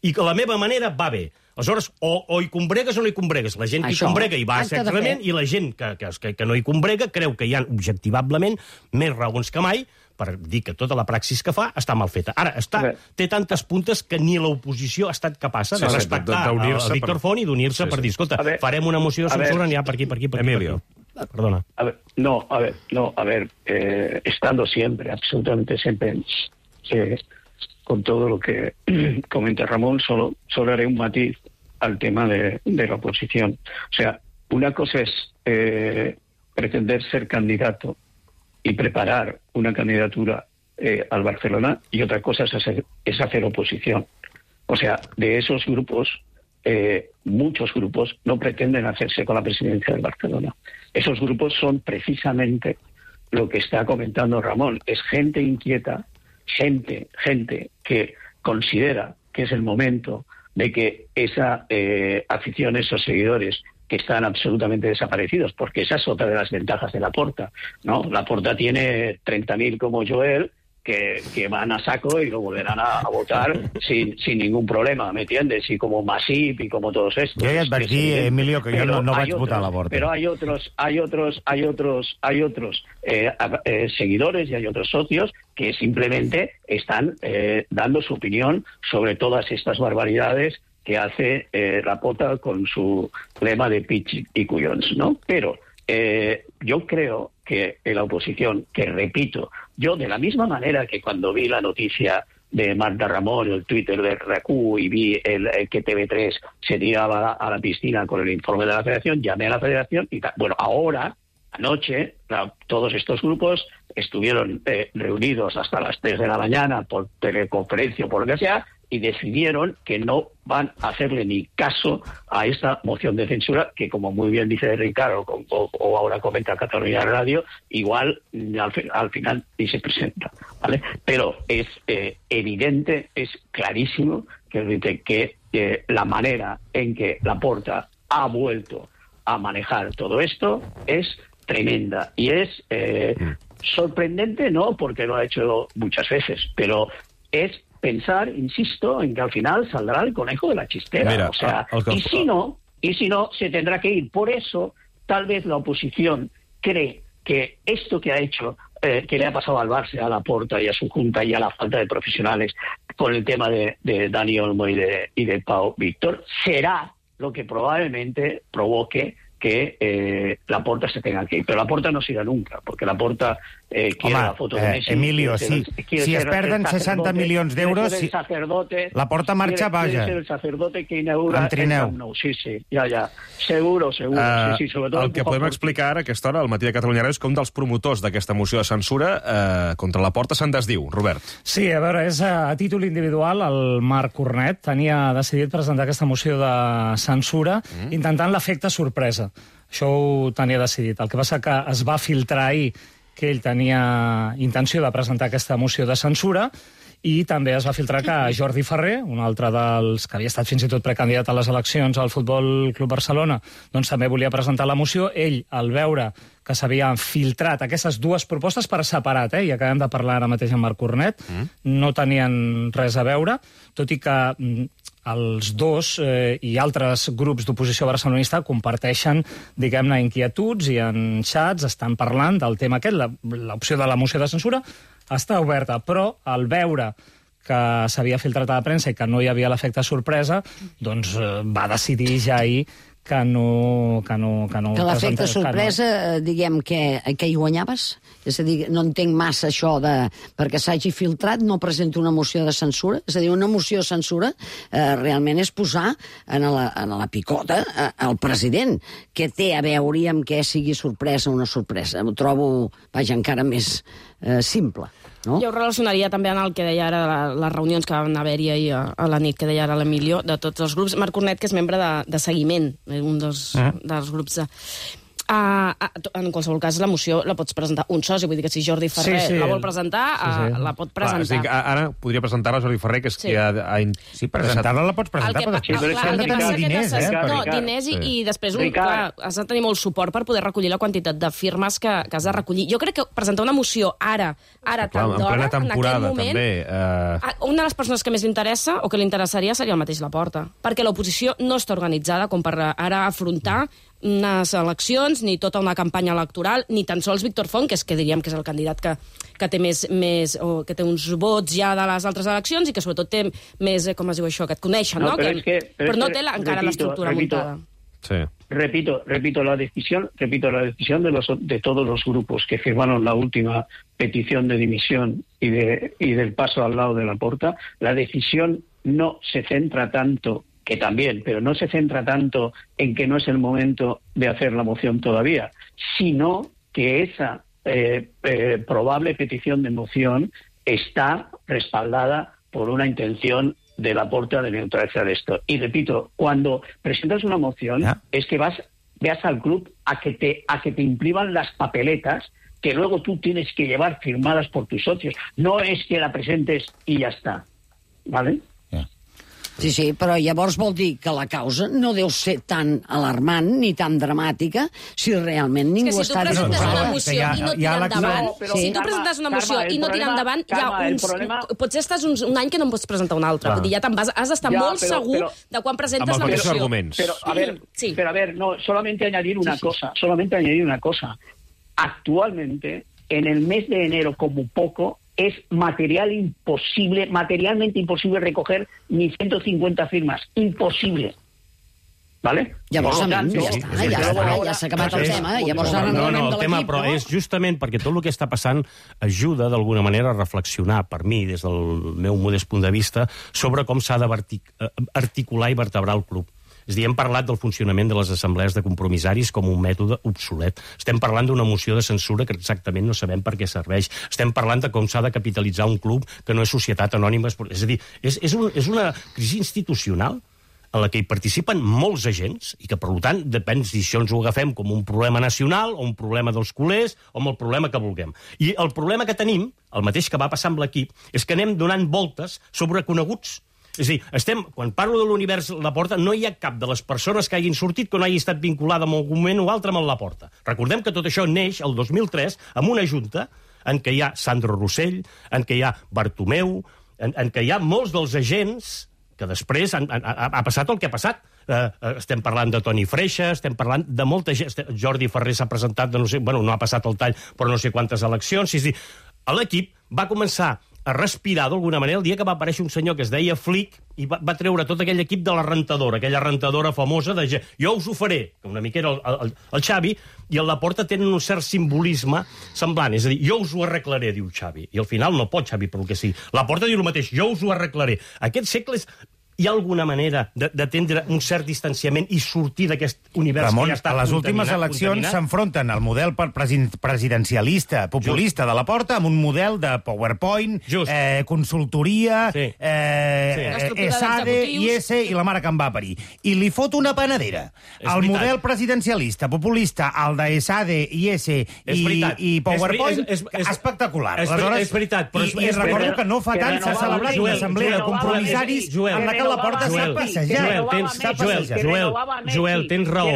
I que la meva manera va bé. Aleshores, o, o hi combregues o no hi combregues. La gent que hi combrega hi va exactament, i la gent que, que, que no hi combrega creu que hi ha objectivablement més raons que mai per dir que tota la praxis que fa està mal feta. Ara, està, té tantes puntes que ni l'oposició ha estat capaç de sí, respectar sí, a Víctor Font i d'unir-se sí, per dir, escolta, ver, farem una moció de censura, n'hi ha per aquí, per aquí, per aquí. Emilio. Perdona. A ver, no, a ver, no, a ver, eh, estando siempre, absolutamente siempre, eh, con todo lo que comenta Ramón, solo, solo haré un matiz al tema de, de la oposición. O sea, una cosa es eh, pretender ser candidato y preparar una candidatura eh, al Barcelona, y otra cosa es hacer, es hacer oposición. O sea, de esos grupos, eh, muchos grupos no pretenden hacerse con la presidencia del Barcelona. Esos grupos son precisamente lo que está comentando Ramón. Es gente inquieta, gente, gente que considera que es el momento de que esa eh, afición, esos seguidores, que están absolutamente desaparecidos, porque esa es otra de las ventajas de Laporta, ¿no? Laporta tiene treinta mil como Joel, Que, que van a saco y lo volverán a, a votar sin, sin ningún problema, ¿me entiendes? Y como Masip y como todos estos. Yo ya advertí, Emilio, que yo no, no vaig otros, votar a Laporta. Pero hay otros, hay otros, hay otros, hay otros eh, eh, seguidores y hay otros socios que simplemente están eh, dando su opinión sobre todas estas barbaridades que hace eh, Laporta con su lema de pitch y cuyons, ¿no? Pero eh, yo creo que en la oposición, que repito, yo de la misma manera que cuando vi la noticia de Marta Ramón, el Twitter de R A C U y vi el, el que T V tres se tiraba a la piscina con el informe de la Federación, llamé a la Federación y tal. Bueno, ahora, anoche, la, todos estos grupos estuvieron eh, reunidos hasta las tres de la mañana por teleconferencia o por lo que sea, y decidieron que no van a hacerle ni caso a esta moción de censura que, como muy bien dice Ricardo o, o, o ahora comenta Cataluña Radio, igual al, al final ni se presenta, ¿vale? Pero es eh, evidente, es clarísimo que, que eh, la manera en que Laporta ha vuelto a manejar todo esto es tremenda y es eh, sorprendente, no porque lo ha hecho muchas veces, pero es pensar, insisto, en que al final saldrá el conejo de la chistera. Mira, o sea, el, el... y si no, y si no, se tendrá que ir. Por eso, tal vez la oposición cree que esto que ha hecho, eh, que le ha pasado al Barça, a Laporta y a su junta y a la falta de profesionales con el tema de, de Dani Olmo y de, y de Pau Víctor, será lo que probablemente provoque que eh, Laporta se tenga que ir. Pero Laporta no se irà nunca, porque Laporta eh, quiere Home, la foto de Messi. Eh, Emilio, quiere, si, quiere si es ser perden seixanta milions d'euros, si... Laporta marxa, quiere, vaja. Quiere ser el sacerdote que inaugura el Camp Nou. Sí, sí, ja, ja. Seguro, seguro. Uh, sí, sí, sobretot el que podem explicar ara a aquesta hora, al matí de Catalunya Ràdio, és que un dels promotors d'aquesta moció de censura eh, contra Laporta se'n desdiu. Robert. Sí, a veure, és a títol individual. El Marc Cornet tenia decidit presentar aquesta moció de censura mm. intentant l'efecte sorpresa. Això ho tenia decidit. El que passa que es va filtrar ahir que ell tenia intenció de presentar aquesta moció de censura i també es va filtrar que Jordi Ferrer, un altre dels que havia estat fins i tot precandidat a les eleccions al Futbol Club Barcelona, doncs també volia presentar la moció. Ell, al veure que s'havien filtrat aquestes dues propostes per separat, eh, i acabem de parlar ara mateix amb Marc Cornet, mm. no tenien res a veure, tot i que els dos eh, i altres grups d'oposició barcelonista comparteixen, diguem-ne, inquietuds i en xats estan parlant del tema aquest. L'opció de la moció de censura està oberta, però al veure que s'havia filtrat a la premsa i que no hi havia l'efecte sorpresa, doncs eh, va decidir ja ahir que no... Que, no, que, no que l'efecte sorpresa, no... diguem, que, que hi guanyaves? És a dir, no entenc massa això de... Perquè s'hagi filtrat, no presento una moció de censura. És a dir, una moció de censura eh, realment és posar en la, en la picota eh, el president, que té a veure amb què sigui sorpresa o no sorpresa. Ho trobo, vaja, encara més eh, simple. No? Jo ho relacionaria també en el que deia ara, les reunions que van haver-hi ahir a, a la nit, que deia ara l'Emilio, de tots els grups. Marc Cornet, que és membre de, de seguiment, un dels, eh? dels grups de... Uh, en qualsevol cas, la moció la pots presentar un soci, vull dir que si Jordi Ferrer sí, sí, la vol presentar, sí, sí. Uh, la pot presentar. Clar, dic, ara podria presentar-la Jordi Ferrer, que és sí. qui ha... ha sí, presentar-la la pots presentar, però després han de tenir diners, eh? No, diners i, sí. i després un, clar, has de tenir molt suport per poder recollir la quantitat de firmes que, que has de recollir. Jo crec que presentar una moció ara, ara tan d'hora, en aquest moment, també, uh... una de les persones que més li interessa o que li interessaria seria el mateix Laporta, perquè l'oposició no està organitzada com per ara afrontar unes eleccions, ni tota una campanya electoral, ni tan sols Víctor Font, que és que diríem que és el candidat que, que té més, més o que té uns vots ja de les altres eleccions i que sobretot té més, com es diu això, que et coneixen, no? no? Però, que, es que, però, però no es que, té la, encara repito, l'estructura repito, muntada. Sí. Repito, repito la decisión, repito la decisión de los de todos los grupos que firmaron la última petición de dimisión y de y del paso al lado de Laporta. La decisión no se centra tanto, que también, pero no se centra tanto en que no es el momento de hacer la moción todavía, sino que esa eh, eh, probable petición de moción está respaldada por una intención de Laporta de neutralizar esto. Y repito, cuando presentas una moción, ¿ya? Es que vas, veas al club a que te, a que te impriman las papeletas que luego tú tienes que llevar firmadas por tus socios. No es que la presentes y ya está, ¿vale? Sí, sí, però llavors vol dir que la causa no deu ser tan alarmant ni tan dramàtica si realment ningú si està... tu presentes disposat. una moció i no tira endavant, si tu presentes una moció i no tira endavant, hi ha uns... Potser estàs un, un any que no en pots presentar un altre. Vull dir, ja te'n vas, has d'estar molt segur de quan presentes la moció. Pero, a ver, sí. pero a ver, no, solamente añadir una sí, sí. cosa, solamente añadir una cosa. Actualmente, en el mes de enero, como poco, es material imposible, materialmente imposible recoger ni ciento cincuenta firmas. Imposible. ¿Vale? Llavors, ja està, ja està, ja s'ha acabat el tema. Llavors, ara no anem de l'equip, però és justament perquè tot el que està passant ajuda, d'alguna manera, a reflexionar, per mi, des del meu modest punt de vista, sobre com s'ha d'articular i vertebrar el club. És a dir, hem parlat del funcionament de les assemblees de compromissaris com un mètode obsolet. Estem parlant d'una moció de censura que exactament no sabem per què serveix. Estem parlant de com s'ha de capitalitzar un club que no és societat anònima. És a dir, és, és, un, és una crisi institucional en la que hi participen molts agents i que, per tant, depèn si això ens ho agafem com un problema nacional o un problema dels culers o amb el problema que vulguem. I el problema que tenim, el mateix que va passar amb l'equip, és que anem donant voltes sobre coneguts. És a dir, estem, quan parlo de l'univers Laporta, no hi ha cap de les persones que hagin sortit que no hagi estat vinculada en algun moment o altre amb el Laporta. Recordem que tot això neix el dos mil tres amb una junta en què hi ha Sandro Rossell, en què hi ha Bartomeu, en, en què hi ha molts dels agents que després han, han, ha passat el que ha passat. Uh, estem parlant de Toni Freixa, estem parlant de molta gent. Jordi Ferrer s'ha presentat, de no sé, bueno, no ha passat el tall, però no sé quantes eleccions. És a dir, l'equip va començar a respirar d'alguna manera el dia que va aparèixer un senyor que es deia Flick i va, va treure tot aquell equip de la rentadora, aquella rentadora famosa de jo us ho faré, que una mica era el, el, el Xavi, i el Laporta tenen un cert simbolisme semblant. És a dir, jo us ho arreglaré, diu Xavi. I al final no pot Xavi per el que sigui. Laporta diu el mateix, jo us ho arreglaré. Aquest segle és... Hi ha alguna manera d'atendre un cert distanciament i sortir d'aquest univers Ramon, que ja està a les últimes eleccions s'enfronten el model presidencialista, populista Just. de Laporta amb un model de PowerPoint, eh, consultoria, sí. eh, sí. ESADE, I S i la mare que em va parir. I li fot una panadera. És el veritat. Model presidencialista, populista, el de ESADE, I S i, i PowerPoint, és, és, és, espectacular. És, Aleshores, és veritat. Però I, I recordo que no fa tant s'ha celebrat una assemblea de compromissaris en la que la porta s'ha passejat. Joel, tens, Joel, Joel, Joel, tens raó.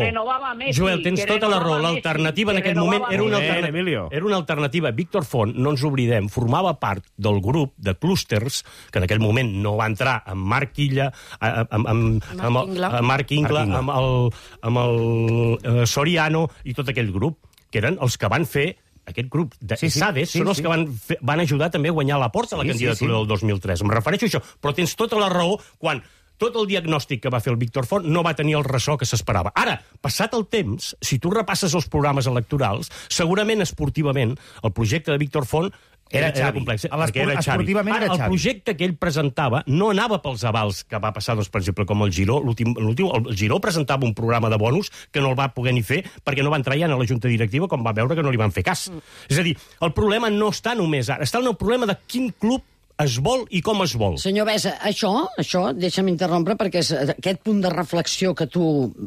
Joel, tens tota la raó. L'alternativa en aquest moment era una alternativa. Era una alternativa. Víctor Font, no ens oblidem, formava part del grup de clústers, que en aquell moment no va entrar amb Marc Illa, amb, amb, amb, amb Marc Ingla, amb el, amb el Soriano i tot aquell grup, que eren els que van fer aquest grup de sí, Sades sí, sí, són els sí. que van, fer, van ajudar també a guanyar la porta sí, a la candidatura sí, sí. del dos mil tres. Em refereixo a això, però tens tota la raó quan tot el diagnòstic que va fer el Víctor Font no va tenir el ressò que s'esperava. Ara, passat el temps, si tu repasses els programes electorals, segurament esportivament el projecte de Víctor Font Era, era complex, perquè era Xavi. Ara, el projecte que ell presentava no anava pels avals que va passar, doncs, per exemple, com el Giró. L'últim, el Giró presentava un programa de bonus que no el va poder ni fer perquè no va entrar ja a la junta directiva com va veure que no li van fer cas. Mm. És a dir, el problema no està només ara, està en el problema de quin club es vol i com es vol. Senyor Besa, això, això deixa'm interrompre, perquè és aquest punt de reflexió que tu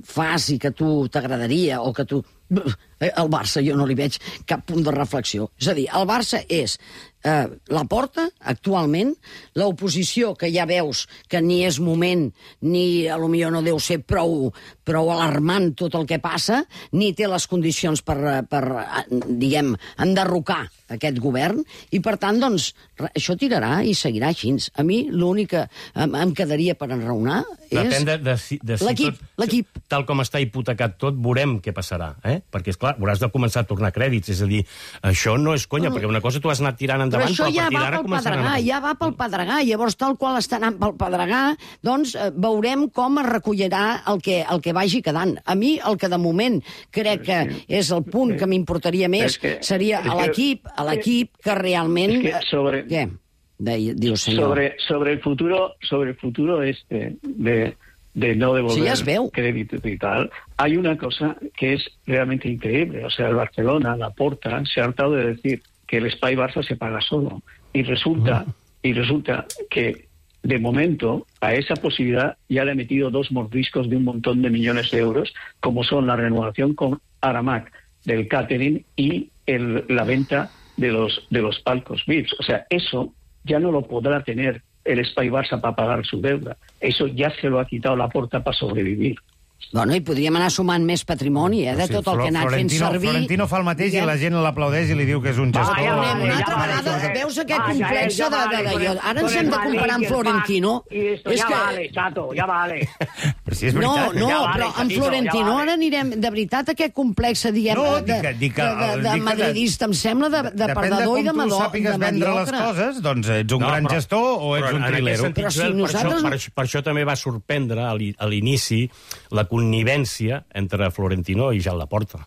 fas i que tu t'agradaria, o que tu... Al Barça jo no li veig cap punt de reflexió. És a dir, el Barça és eh, Laporta, actualment, l'oposició que ja veus que ni és moment, ni a lo millor no deu ser prou, prou alarmant tot el que passa, ni té les condicions per, per diguem, enderrocar aquest govern, i per tant, doncs, això tirarà i seguirà així. A mi l'únic que em, em quedaria per enraonar és... Depèn de, de, si, de si l'equip, tot, l'equip. Tal com està hipotecat tot, veurem què passarà, eh? Perquè, esclar, hauràs de començar a tornar crèdits, és a dir, això no és conya, perquè una cosa tu has anat tirant endavant, però, però a partir d'ara començaran a... Ja va pel Pedregà, llavors tal qual està anant pel Pedregà, doncs eh, veurem com es recollirà el que, el que vagi quedant. A mi el que de moment crec que és el punt que m'importaria més seria a l'equip, a l'equip que realment... Que sobre... Què? Diu, senyor. Sobre, sobre el futuro, sobre el futuro este de... de no devolver sí, ya crédito y tal, hay una cosa que es realmente increíble. O sea, el Barcelona, Laporta, se ha hartado de decir que el Spy Barça se paga solo. Y resulta, uh-huh. y resulta que, de momento, a esa posibilidad ya le ha metido dos mordiscos de un montón de millones de euros, como son la renovación con Aramac del catering y el, la venta de los, de los palcos V I Ps. O sea, eso ya no lo podrá tener el Espai Barça para pagar su deuda. Eso ya se lo ha quitado Laporta para sobrevivir. Bueno, i podríem anar sumant més patrimoni, eh, de Sí, tot el que ha anat fent Florentino, servir. Florentino fa el mateix i la gent l'aplaudeix i li diu que és un gestor. Ah, ja vale, una altra vegada, veus aquest complex de... de, de, de ara ens hem de comparar amb Florentino. És ja que... vale, Chato, ja vale. Però si és no, veritat. no, Ja però vale, amb Chatito, Florentino ja vale. ara anirem... De veritat, aquest complex, diguem, No, de, dic que- dic que- de, de, de dic que- madridista, em sembla, de, de perdedor i de, Depèn de com tu malo, de sàpigues vendre les mediocre. coses, doncs ets un No, gran però- gestor o ets però un en aquest trilero. sentit, Però si Joel, nosaltres- per, això, per, per això també va sorprendre a l'i- a l'inici la connivència entre Florentino i Joan Laporta.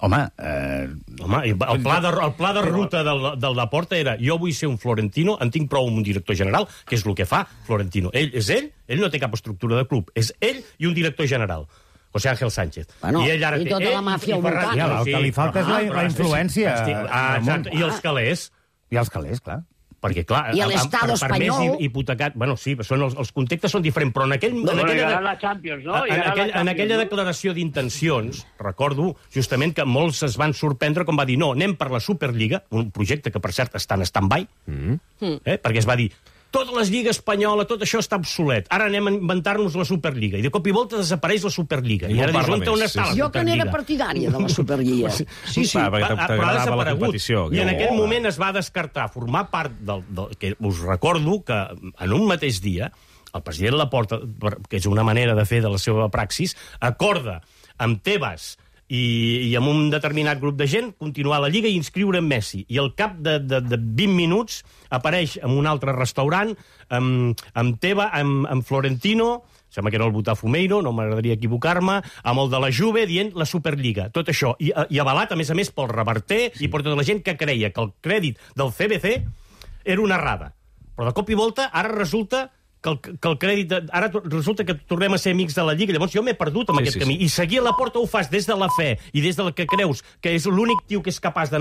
Home, eh... Home, i el pla de, el pla de ruta del, del Laporta era jo vull ser un Florentino, en tinc prou amb un director general, que és el que fa Florentino. Ell és ell, ell no té cap estructura de club, és ell i un director general. José Ángel Sánchez. Bueno, I, ell ara i té tota ell la màfia i al Ferran- voltant. Ja, el que li falta és la- però- la influència, Hosti, Ah, Ramon. exacte. I els calés. I els calés, clar. Perquè, clar, I amb- amb- l'Estado per- per més espanyol. hi- hipotecat... Bueno, sí, són els, els contextes són diferents, però en, aquell, No, en, no, aquella, llegarà la Champions, no? en, Llegarà la aquell, en Champions, aquella no? declaració d'intencions, recordo justament que molts es van sorprendre quan va dir no, anem per la Superliga, un projecte que, per cert, està en stand-by, mm. eh, perquè es va dir tota la Lliga Espanyola, tot això està obsolet. Ara anem a inventar-nos la Superliga. I de cop i volta desapareix la Superliga. I, I no ara dius, parla on, on més, està sí, la Jo que Superliga? n'era partidària de la Superliga. Sí, sí. Va, perquè Va, però ha t'agradava la desaparegut. competició. I en Jo- aquell moment es va descartar formar part del, del... que us recordo que en un mateix dia el president Laporta, per- que és una manera de fer de la seva praxis, acorda amb Tebas i, i amb un determinat grup de gent continuar la Lliga i inscriure en Messi. I al cap de, de, de vint minuts apareix en un altre restaurant amb, amb Teba, amb, amb Florentino, sembla que era el Botafumeiro, no m'agradaria equivocar-me, amb el de la Juve dient la Superliga. Tot això. I, i avalat, a més a més, pel Reverter sí. i per tota la gent que creia que el crèdit del C B C era una errada. Però de cop i volta ara resulta que el, que el crèdit... De, ara resulta que tornem a ser amics de la Lliga. Llavors jo m'he perdut amb Sí, aquest sí, camí. sí. I seguir a la porta ho fas des de la fe i des del que creus que és l'únic tio que és capaç d'anar